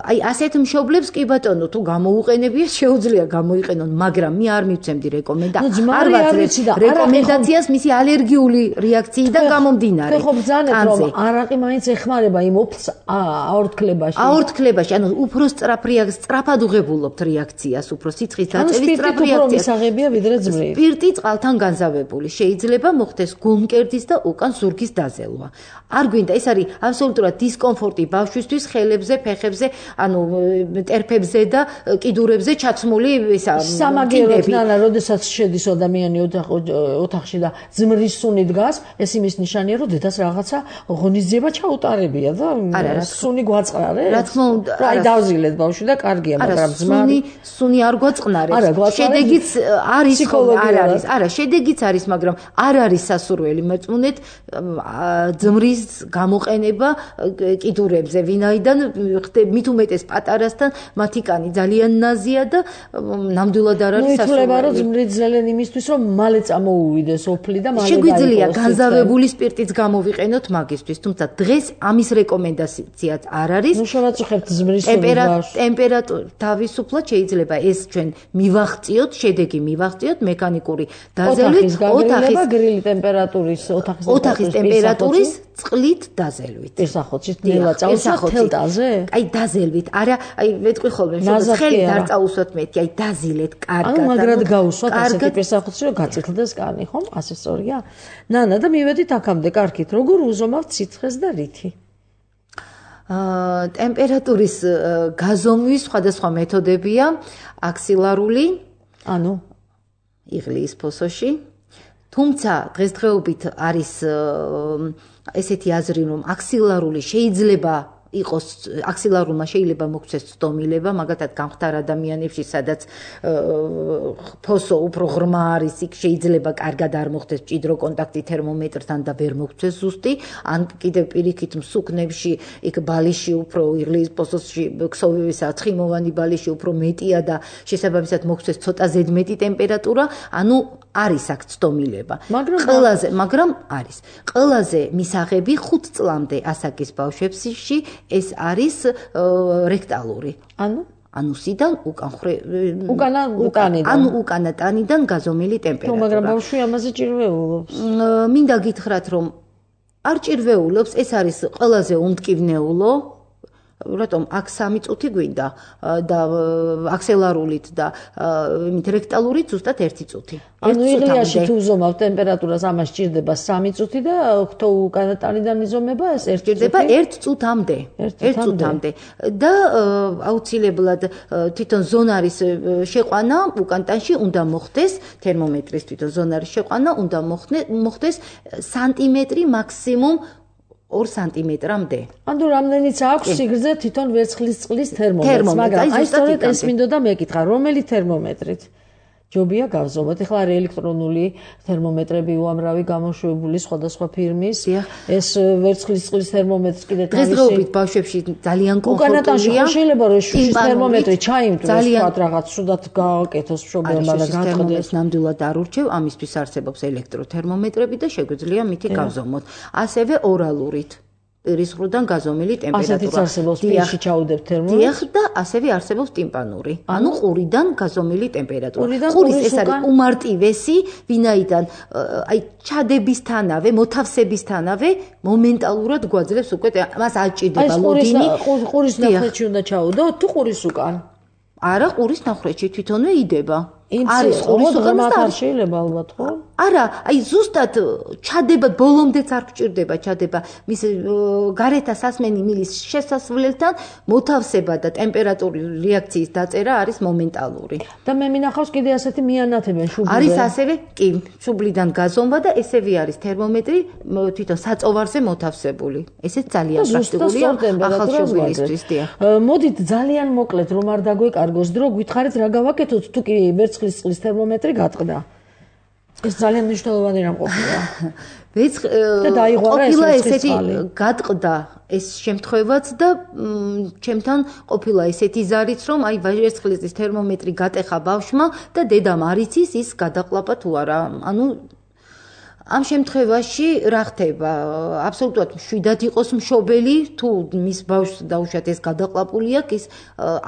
აი ასეთ მშობლებს კი ბატონო თუ გამოუყენებია შეუძლია გამოიყენონ, მაგრამ მე არ მივცემდი რეკომენდაციას. არ ვაცრებ რეკომენდაციას მისი ალერგიული რეაქციიდან გამომდინარე. ხო ბრძანეთ რომ არაყი მაინც ეხმარება იმ ოფს აორთქლებაში. აორთქლებაში, ანუ უფრო სწრაფ რეაქციას, სწრაფად უღებულობთ რეაქციას, უფრო სიცხის დაწევის სწრაფ რეაქციას. მისაღებია ვიდრე ძმრი. სპირტი წყალთან განზავებული. შეიძლება მოხდეს გულმკერდის და უკან ზურგის დაზელვა. არ გვინდა, ეს არის აბსოლუტურად დისკომფორტი ბავშვის იმისთვის ხელებზე, ფეხებზე, ანუ ტერფებზე და კიდურებზე ჩაცმული ისა სამაგეროდ ნანა, როდესაც შედის ადამიანი ოთახში და ძმრის სუნი დგას, ეს იმის ნიშანია, რომ დედას რაღაცა ღონისძიება ჩაუტარებია და სუნი გვაწყნარე. რა თქმა უნდა, აი დავზილეთ ბავშვი და კარგია, მაგრამ ძმა სუნი სუნი არ გვაწყნარებს. შედეგიც არის არ არის. არა, შედეგიც არის, მაგრამ არ არის სასურველი მეწმუნეთ ძმრის გამოყენება კიდურებზე, ვინაიდან მით უმეტეს პატარასთან მათი კანი ძალიან ნაზია და ნამდვილად არ არის სასურველი. ითვლება, რომ ძმრი ძელენ იმისთვის, რომ მალე წამოუვიდეს ოფლი და მალე შეგვიძლია განზავებული სპირტიც გამოვიყენოთ მაგისთვის, თუმცა დღეს ამის რეკომენდაციაც არ არის. ნუ შევაწუხებთ ძმრის ტემპერატურა თავისუფლად შეიძლება ეს ჩვენ მივაღწიოთ, შედეგი მივაღწიოთ მექანიკური დაზელვით, ოთახის გრილი ტემპერატურის, ოთახის ოთახის ტემპერატურის წყლით დაზელვით. პირსახოცით ნელა წაუსვათ თელტაზე? აი დაზელვით. არა, აი ვეთქვი ხოლმე, რომ ხელით არ წაუსვათ მეტი, აი დაზილეთ კარგად. ანუ მაგრად გაუსვათ ასეთი პირსახოცი, რომ გაწითლდეს კანი, ხომ? ასე სწორია? ნანა და მივედით აქამდე, კარგით. როგორ უზომავთ სიცხეს და რითი? აა ტემპერატურის გაზომვის სხვადასხვა მეთოდებია, აქსილარული, ანუ იღლიის ფოსოში. თუმცა დღესდღეობით არის ესეთი აზრი, რომ აქსილარული შეიძლება იყოს აქსილარულმა შეიძლება მოგვცეს ცდომილება, მაგათად გამხდარ ადამიანებში, სადაც ფოსო უფრო ღრმა არის, იქ შეიძლება კარგად არ მოხდეს მჭიდრო კონტაქტი თერმომეტრთან და ვერ მოგვცეს ზუსტი, ან კიდევ პირიქით მსუქნებში, იქ ბალიში უფრო იღლიის ფოსოში ქსოვისა ცხიმოვანი ბალიში უფრო მეტია და შესაბამისად მოგვცეს ცოტა ზედმეტი ტემპერატურა, ანუ არის აქ ცდომილება. ყველაზე, მაგრამ არის. ყველაზე მისაღები ხუთ წლამდე ასაკის ბავშვებში ეს არის რექტალური. ანუ ანუსიდან უკან უკანა უკანიდან. ანუ უკანა ტანიდან გაზომილი ტემპერატურა. მაგრამ ბავშვი ამაზე ჭირვეულობს. მინდა გითხრათ, რომ არ ჭირვეულობს, ეს არის ყველაზე უმტკივნეულო. რატომ აქ სამი წუთი გვინდა და აქსელარულით და იმით რექტალურით ზუსტად ერთი წუთი. ანუ იღლიაში თუ უზომავ ტემპერატურას ამას ჭირდება სამი წუთი და ხთო უკანა ტანიდან იზომება ეს ერთი წუთი. ჭირდება ერთ წუთამდე. ერთ წუთამდე. და აუცილებლად თვითონ ზონარის შეყვანა უკან ტანში უნდა მოხდეს, თერმომეტრის თვითონ ზონარის შეყვანა უნდა მოხდეს სანტიმეტრი მაქსიმუმ ორ სანტიმეტრამდე. ანუ რამდენიც აქვს სიგრძე თვითონ ვერცხლის წყლის თერმომეტრს, მაგრამ აი სწორედ ეს მინდოდა მეკითხა, რომელი თერმომეტრით? ჯობია გავზომოთ. ეხლა არის ელექტრონული თერმომეტრები უამრავი გამოშვებული სხვადასხვა ფირმის. ეს ვერცხლის წყლის თერმომეტრს კიდე დღესდღეობით ბავშვებში ძალიან კომფორტულია. შეიძლება რომ შუშის თერმომეტრი ჩაიმტვროს თქვათ რაღაც სუდად გააკეთოს მშობელმა და გაწყვეტოს. ნამდვილად არ ურჩევ, ამისთვის არსებობს ელექტროთერმომეტრები და შეგვიძლია მითი გავზომოთ. ასევე ორალურით. პირის ხრუდან გაზომილი ტემპერატურა. ასეთიც არსებობს პირში ჩაუდებთ თერმომეტრს. დიახ და ასევე არსებობს ტიმპანური. ანუ ყურიდან გაზომილი ტემპერატურა. ყურის ეს არის უმარტივესი, ვინაიდან აი ჩადებისთანავე, მოთავსებისთანავე მომენტალურად გვაძლევს უკვე მას აჭირდება ლოდინი. აი ყურის ნახრეთში უნდა ჩაუდოთ თუ ყურის უკან? არა, ყურის ნახრეთში თვითონვე იდება. არის ყურის უკან არ შეიძლება ალბათ, ხო? არა, აი ზუსტად ჩადება ბოლომდეც არ გჭირდება ჩადება მის გარეთა სასმენი მილის შესასვლელთან მოთავსება და ტემპერატურის რეაქციის დაწერა არის მომენტალური. და მე მინახავს კიდე ასეთი მიანათებენ შუბლზე. არის ასევე, კი, შუბლიდან გაზომვა და ესევე არის თერმომეტრი თვითონ საწოვარზე მოთავსებული. ესეც ძალიან პრაქტიკულია ახალ შუბლისთვის, დიახ. მოდით ძალიან მოკლედ რომ არ დაგვეკარგოს დრო, გითხარით რა გავაკეთოთ თუ კი ვერცხლის წყლის თერმომეტრი გატყდა. ეს ძალიან მნიშვნელოვანი რამ ყოფილა. ვეცხ ყოფილა ესეთი გატყდა ეს შემთხვევაც და ჩემთან ყოფილა ესეთი ზარიც რომ აი ვერცხლის თერმომეტრი გატეხა ბავშვმა და დედამ არ იცის ის გადაყლაპა თუ არა. ანუ ამ შემთხვევაში რა ხდება? აბსოლუტურად მშვიდად იყოს მშობელი, თუ მის ბავშვს დაუშვათ ეს გადაყლაპული აქვს, ის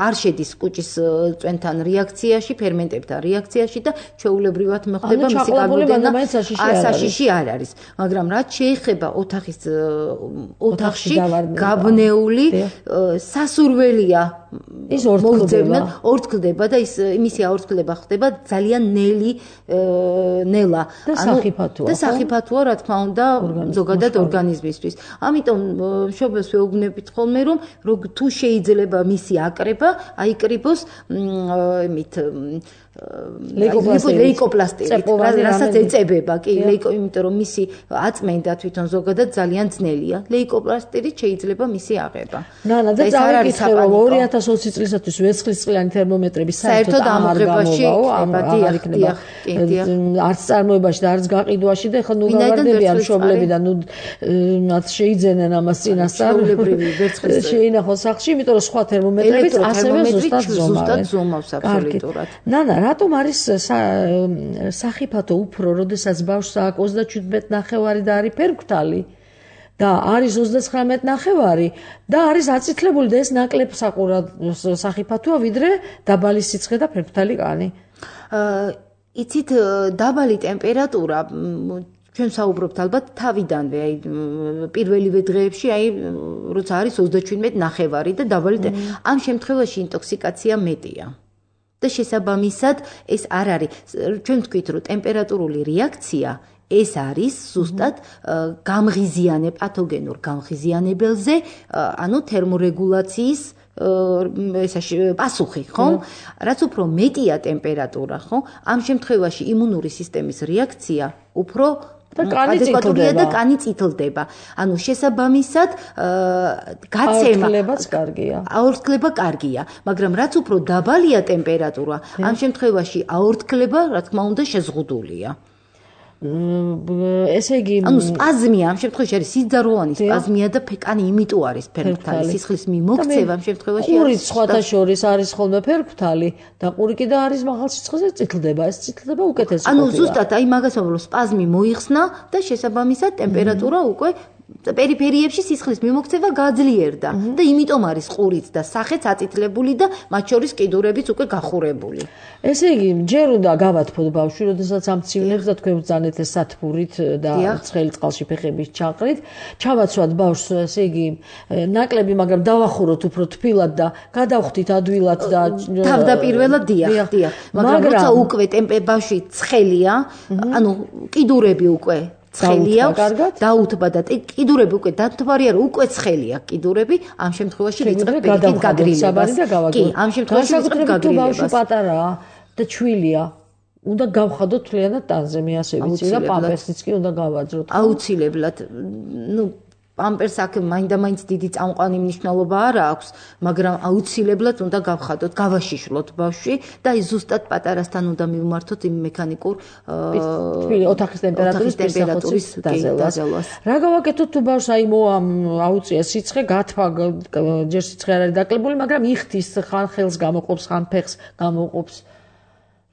არ შედის კუჭის წვენთან რეაქციაში, ფერმენტებთან რეაქციაში და ჩვეულებრივად მოხდება მისი გაგრძელება. საშიში არ არის. მაგრამ რაც შეეხება ოთახის ოთახში გაბნეული სასურველია ის ორთქლდება ორთქლდება და ის იმისი აორთქლება ხდება ძალიან ნელი ნელა და სახიფათოა და სახიფათოა რა თქმა უნდა ზოგადად ორგანიზმისთვის ამიტომ მშობელს ვეუბნებით ხოლმე რომ თუ შეიძლება მისი აკრება აიკრიბოს იმით ლეიკოპლასტირით რასაც ეწებება კი ლეიკო იმიტომ რომ მისი აწმენდა თვითონ ზოგადად ძალიან ძნელია ლეიკოპლასტირით შეიძლება მისი აღება ნანა და წავიკითხე რომ ორი ათას ოცი წლისათვის ვერცხლისწყლიანი თერმომეტრები საერთოდ ამოღებაში არ იქნება არც წარმოებაში და არც გაყიდვაში და ხო ნუ გავარდებიან მშობლებიდან ნუ მათ შეიძენენ ამას წინასწარ შეინახონ სახლში იმიტომ რომ სხვა თერმომეტრებიც ასევე ზუსტად ზომავს აბსოლუტურად ნანა რატომ არის სახიფათო უფრო, როდესაც ბავშვს აქვს ოცდაჩვიდმეტი ნახევარი და არის ფერმკრთალი და არის ოცდაცხრამეტი ნახევარი და არის აწითლებული და ეს ნაკლებ საყურად სახიფათოა ვიდრე დაბალი სიცხე და ფერმკრთალი კანი. იცით დაბალი ტემპერატურა ჩვენ საუბრობთ ალბათ თავიდანვე, აი პირველივე დღეებში, აი როცა არის ოცდაჩვიდმეტი ნახევარი და დაბალი ამ შემთხვევაში ინტოქსიკაცია მეტია. და შესაბამისად ეს არ არის ჩვენ ვთქვით რომ ტემპერატურული რეაქცია ეს არის ზუსტად გამღიზიანე პათოგენურ გამღიზიანებელზე ანუ თერმორეგულაციის ესაში პასუხი ხო რაც უფრო მეტია ტემპერატურა ხო ამ შემთხვევაში იმუნური სისტემის რეაქცია უფრო და კანი წითლდება და კანი წითლდება. ანუ შესაბამისად გაცემა აორთქლებაც კარგია. აორთქლება კარგია, მაგრამ რაც უფრო დაბალია ტემპერატურა, ამ შემთხვევაში აორთქლება, რა თქმა უნდა, შეზღუდულია. ესე იგი ანუ სპაზმია ამ შემთხვევაში არის სიძაროვანი სპაზმია და კანი იმიტომ არის ფერმკრთალი სისხლის მიმოქცევა ამ შემთხვევაში არის ყური სხვათა შორის არის ხოლმე ფერმკრთალი და ყური კიდე არის მაღალ სიცხეზე წითლდება ეს წითლდება უკეთესი ანუ ზუსტად აი მაგას ვამბობ სპაზმი მოიხსნა და შესაბამისად ტემპერატურა უკვე პერიფერიებში სისხლის მიმოქცევა გაძლიერდა და იმიტომ არის ყურიც და სახეც აწითლებული და მათ შორის კიდურებიც უკვე გახურებული. ესე იგი ჯერ უნდა გავათფოთ ბავშვი, როდესაც ამცირებს და თქვენ ბრძანეთ ეს სათბურით და ცხელი წყალში ფეხების ჩაყრით, ჩავაცვათ ბავშვს, ესე იგი ნაკლები, მაგრამ დავახუროთ უფრო თბილად და გადავხდით ადვილად და თავდაპირველად დიახ, დიახ. მაგრამ როცა უკვე ტემპე ბავშვი ცხელია, ანუ კიდურები უკვე ცხელია დაუთბა და კიდურები უკვე დათვარია რომ უკვე ცხელია კიდურები ამ შემთხვევაში ვიწყებ პექით გაგრილებას კი ამ შემთხვევაში ვიწყებ გაგრილებას ბავშვი პატარაა და ჩვილია უნდა გავხადოთ თლიანად ტანზე მე ასე ვიცი და პამპერსიც კი უნდა გავაძროთ აუცილებლად ნუ პამპერს აქ მაინდა-მაინც დიდი წამყვანი მნიშვნელობა არ აქვს, მაგრამ აუცილებლად უნდა გავხადოთ, გავაშიშვლოთ ბავშვი და აი ზუსტად პატარასთან უნდა მივმართოთ იმ მექანიკურ ოთახის ტემპერატურის დაზელვას. რა გავაკეთოთ თუ ბავშვს აი აუწია სიცხე, გათვა, ჯერ სიცხე არ არის დაკლებული, მაგრამ იხდის ხან ხელს გამოყოფს, ხან ფეხს გამოყოფს.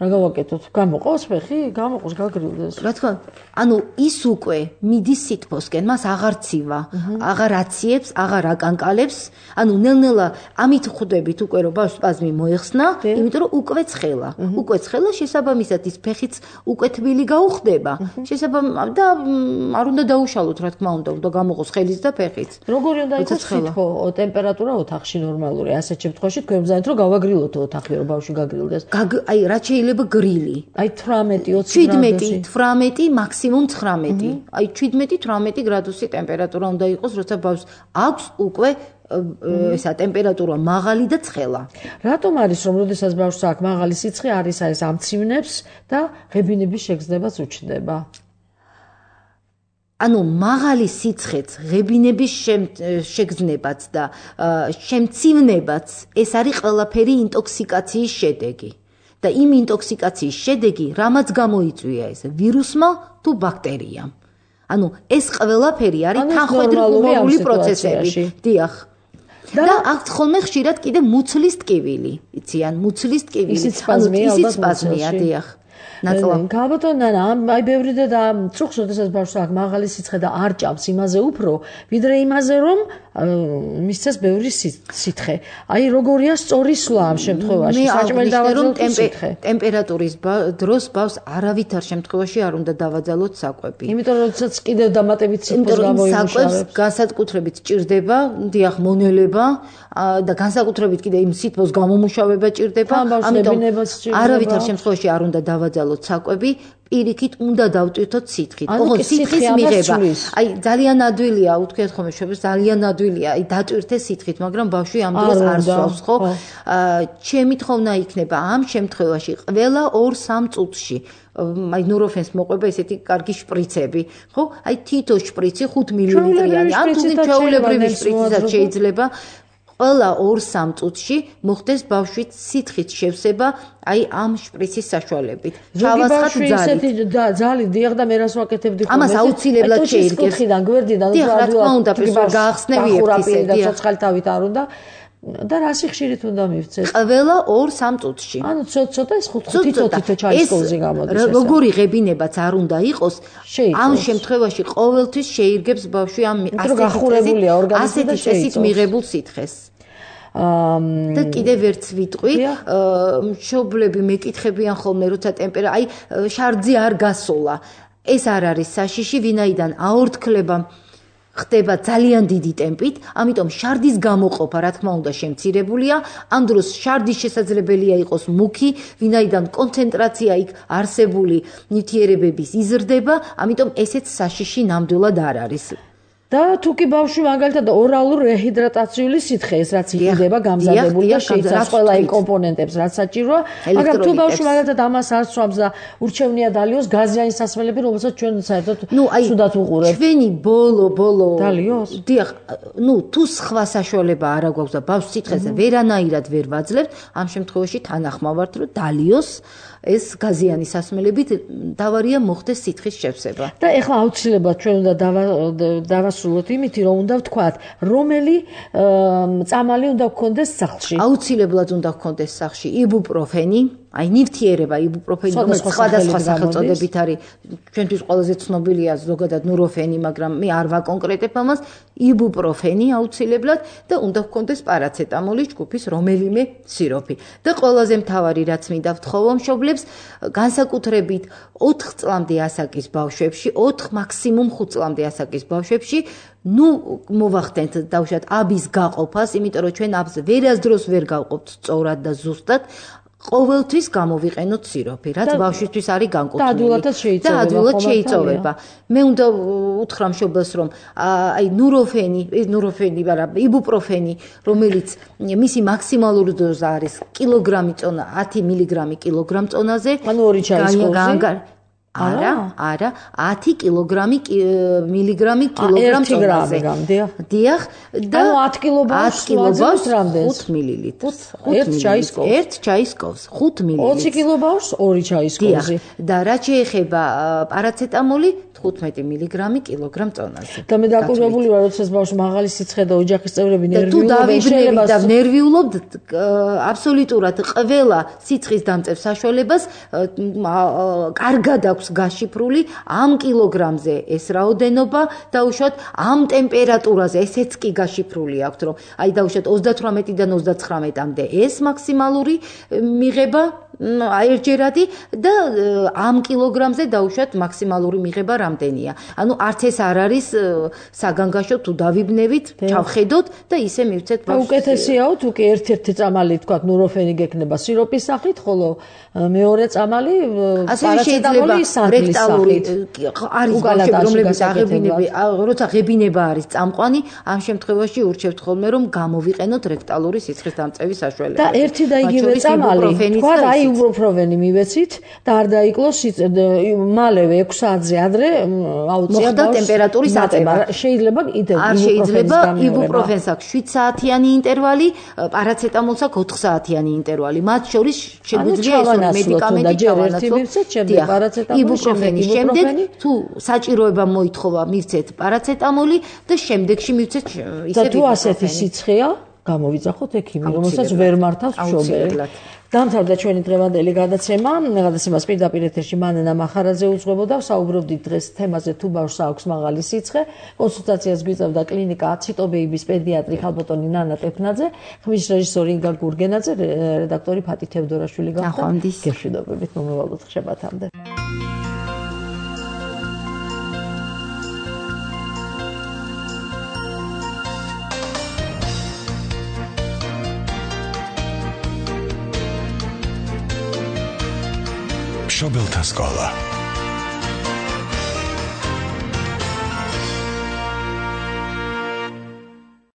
რა გავაკეთოთ? გამოყავს ფეხი? გამოყავს გაგრილდეს. რა თქმა უნდა, ანუ ის უკვე მიდის სითბოსკენ, მას აღარ ცივა, აღარ აციებს, აღარ აკანკალებს, ანუ ნელ-ნელა ამით ხვდებით უკვე რომ ბავშვს სპაზმი მოეხსნა, იმიტომ რომ უკვე ცხელა. უკვე ცხელა შესაბამისად ის ფეხიც უკვე თბილი გაუხდება. შესაბამისად და არ უნდა დაუშალოთ, რა თქმა უნდა, უნდა გამოყოს ხელიც და ფეხიც. როგორი უნდა იყოს სითბო, ტემპერატურა ოთახში ნორმალური. ასეთ შემთხვევაში თქვენ ბრძანეთ რომ გავაგრილოთ ოთახი, რომ ბავშვი გაგრილდეს. აი რა შეიძლება გრილი. აი თვრამეტი ოცი შვიდმეტი, თვრამეტი, მაქსიმუმ ცხრამეტი. აი შვიდმეტი, თვრამეტი გრადუსი ტემპერატურა უნდა იყოს, როცა ბავშვს აქვს უკვე ესა ტემპერატურა მაღალი და ცხელა. რატომ არის რომ როდესაც ბავშვს აქვს მაღალი სიცხე არის ეს ამცივნებს და ღებინების შეგრძნებას უჩნდება? ანუ მაღალი სიცხეც, ღებინების შეგრძნებაც და შემცირებაც ეს არის ყველაფერი ინტოქსიკაციის შედეგი. და იმ ინტოქსიკაციის შედეგი რამაც გამოიწვია ეს ვირუსმა თუ ბაქტერიამ. ანუ ეს ყველაფერი არის თანხმდროული პროცესები. დიახ. და აქ ხოლმე ხშირად კიდე მუცლის ტკივილი. იციან, მუცლის ტკივილი. ისიც სპაზმია, ისიც სპაზმია, დიახ. ნაწლა. გაბატონო, აი ბევრი და წუხს, როდესაც ბავშვს აქვს მაღალი სიცხე და არ ჭამს იმაზე უფრო, ვიდრე იმაზე რომ მისცეს ბევრი სითხე. აი როგორია სწორი სვლა ამ შემთხვევაში, საჭმელი დავაძალოთ სითხე. ტემპერატურის დროს ბავშვს არავითარ შემთხვევაში არ უნდა დავაძალოთ საკვები. იმიტომ რომ როდესაც კიდევ დამატებით სითბოს გამოიმუშავებს. საკვებს განსაკუთრებით ჭირდება, დიახ, მონელება და განსაკუთრებით კიდე იმ სითბოს გამომუშავება ჭირდება. ამიტომ არავითარ შემთხვევაში არ უნდა დავაძალოთ საკვები. პირიქით უნდა დავტვირთოთ სითხით. ოღონდ სითხის მიღება. აი ძალიან ადვილია, უთქვიათ ხოლმე შევეს ძალიან ადვილია. აი დატვირთე სითხით, მაგრამ ბავშვი ამ დროს არ სვავს, ხო? ჩემი თხოვნა იქნება ამ შემთხვევაში ყველა ორ სამ წუთში აი ნუროფენს მოყვება ესეთი კარგი შპრიცები, ხო? აი თითო შპრიცი ხუთ მილიმეტრიანი, ან თუ ჩვეულებრივი შპრიციც შეიძლება ყველა ორ სამ წუთში მოხდეს ბავშვით სითხით შევსება აი ამ შპრიცის საშუალებით. ჩავასხათ ძალით. ძალით დიახ და მე რას ვაკეთებდი ხოლმე. ამას აუცილებლად შეირგებს. კუთხიდან გვერდიდან და რა თქმა უნდა, გაახსნები ერთისე და ცოცხალთავით არ უნდა და რასი ხშირით უნდა მივცეს? ყველა ორ სამ წუთში. ანუ ცოტა ის თითო თითო ჩაის კოვზი გამოდის ეს. როგორი ღებინებაც არ უნდა იყოს, ამ შემთხვევაში ყოველთვის შეირგებს ბავშვი ამ გახურებულია ორგანიზმი და ასეთ მიღებულ სითხეს. და კიდევ ვერც ვიტყვი, მშობლები მეკითხებიან ხოლმე, როცა ტემპერატურა, აი შარდზე არ გასოლა. ეს არ არის საშიში, ვინაიდან აორთქლება ხდება ძალიან დიდი ტემპით, ამიტომ შარდის გამოყოფა, რა თქმა უნდა, შემცირებულია. ამ დროს შარდის შესაძლებელია იყოს მუქი, ვინაიდან კონცენტრაცია იქ არსებული ნივთიერებების იზრდება, ამიტომ ესეც საშიში ნამდვილად არ არის. და თუ კი ბავშვი მაგალითად ორალურ რეჰიდრატაციული სითხე ეს რაც იყიდება გამზადებული და შეიცავს ყველა იმ კომპონენტებს რაც საჭიროა, მაგრამ თუ ბავშვი მაგალითად ამას არ სვამს და ურჩევნია დალიოს გაზიანი სასმელები, რომელსაც ჩვენ საერთოდ სუდად უყურებთ. ჩვენი ბოლო ბოლო დალიოს? დიახ, ნუ თუ სხვა საშუალება არ აქვს და ბავშვს სითხეზე ვერანაირად ვერ ვაძლევთ, ამ შემთხვევაში თანახმავართ, რომ დალიოს ეს გაზიანი სასმელებით დავარია მოხდეს სითხის შევსება. და ეხლა აუცილებლად ჩვენ უნდა დავასრულოთ იმითი, რომ უნდა ვთქვათ, რომელი წამალი უნდა გქონდეს სახლში. აუცილებლად უნდა გქონდეს სახლში იბუპროფენი, აი ნივთიერება იბუპროფენი, რომელიც სხვადასხვა სახელწოდებით არის. ჩვენთვის ყველაზე ცნობილია ზოგადად ნუროფენი, მაგრამ მე არ ვაკონკრეტებ ამას. იბუპროფენი აუცილებლად და უნდა გქონდეს პარაცეტამოლის ჯგუფის რომელიმე სიროპი. და ყველაზე მთავარი რაც მინდა ვთხოვო მშობლებს, განსაკუთრებით ოთხ წლამდე ასაკის ბავშვებში, ოთხ მაქსიმუმ ხუთ წლამდე ასაკის ბავშვებში, ნუ მოვახდენთ დავუშვათ აბის გაყოფას, იმიტომ რომ ჩვენ აბს ვერასდროს ვერ გავყოფთ სწორად და ზუსტად. ყოველთვის გამოვიყენოთ სიროპი, რაც ბავშვისთვის არის განკუთვნილი. და ადვილადაც შეიწოვება. და ადვილად შეიწოვება. მე უნდა უთხრა მშობელს, რომ აი ნუროფენი, ნუროფენი, არა, იბუპროფენი, რომელიც მისი მაქსიმალური დოზა არის კილოგრამი წონა, ათი მილიგრამი კილოგრამ წონაზე. ანუ ორი ჩაის კოვზი. არა, არა, ათი კილოგრამი მილიგრამი კილოგრამ წონაზე. დიახ, და ანუ ათი კილოგრამს ვაძლევთ რამდენს? ხუთ მილilitrს. ერთ ჩაის კოვს. ერთ ჩაის კოვს, ხუთ მილilitrს. ოცი კილოგრამს ორი ჩაის კოვზი. და რაც შეეხება პარაცეტამოლი, თხუთმეტი მილიგრამი კილოგრამ წონაზე. და მე დაკვირვებული ვარ, როდესაც ბავშვს მაღალი სიცხე და ოჯახის წევრები ნერვიულობენ, შეიძლება და ნერვიულობთ აბსოლუტურად ყველა სიცხის დამწევ საშუალებას კარგად აქვს გაშიფრული ამ კილოგრამზე ეს რაოდენობა დაუშვათ ამ ტემპერატურაზე ესეც კი გაშიფრული აქვს, რომ აი დაუშვათ ოცდათვრამეტიდან ოცდაცხრამეტამდე ეს მაქსიმალური მიღება აი ერთჯერადი და ამ კილოგრამზე დაუშვათ მაქსიმალური მიღება რამდენია. ანუ არც ეს არ არის საგანგაშო თუ დავიბნევით, ჩავხედოთ და ისე მივცეთ ბავშვს. უკეთესიაო თუ კი ერთ-ერთი წამალი თქვათ ნუროფენი გექნება სიროპის სახით, ხოლო მეორე წამალი პარაცეტამოლის რექტალური არის ბავშვები, რომლებიც აღებინები, როცა ღებინება არის წამყვანი, ამ შემთხვევაში ურჩევთ ხოლმე რომ გამოვიყენოთ რექტალური სიცხის დამწევის საშუალება. და ერთი და იგივე წამალი, თქვათ აი იბუპროფენი მივეცით და არ დაიკლოს მალევე ექვს საათზე ადრე აუწია ბავშვს ტემპერატურის აწევა. შეიძლება კიდევ არ შეიძლება იბუპროფენს აქვს შვიდ საათიანი ინტერვალი, პარაცეტამოლს აქვს ოთხ საათიანი ინტერვალი. მათ შორის შეგვიძლია ეს მედიკამენტი ჩავანაცვლოთ. იბუპროფენის შემდეგ თუ საჭიროება მოითხოვა მივცეთ პარაცეტამოლი და შემდეგში მივცეთ ისე და თუ ასეთი სიცხეა გამოვიძახოთ ექიმი, რომელსაც ვერ მართავს მშობელი. დამთავრდა ჩვენი დღევანდელი გადაცემა. გადაცემას პირდაპირ ეთერში მანენა მახარაძე უძღვებოდა. ვსაუბრობდით დღეს თემაზე თუ ბავშვს აქვს მაღალი სიცხე. კონსულტაციას გვიწევდა კლინიკა ციტობეიბის პედიატრი ხალბატონი ნანა ტეფნაძე, ხმის რეჟისორი ინგა გურგენაძე, რედაქტორი ფატი თევდორაშვილი გახდა. გეშვიდობებით მომავალ ხებათამდე. მშობელთა სკოლა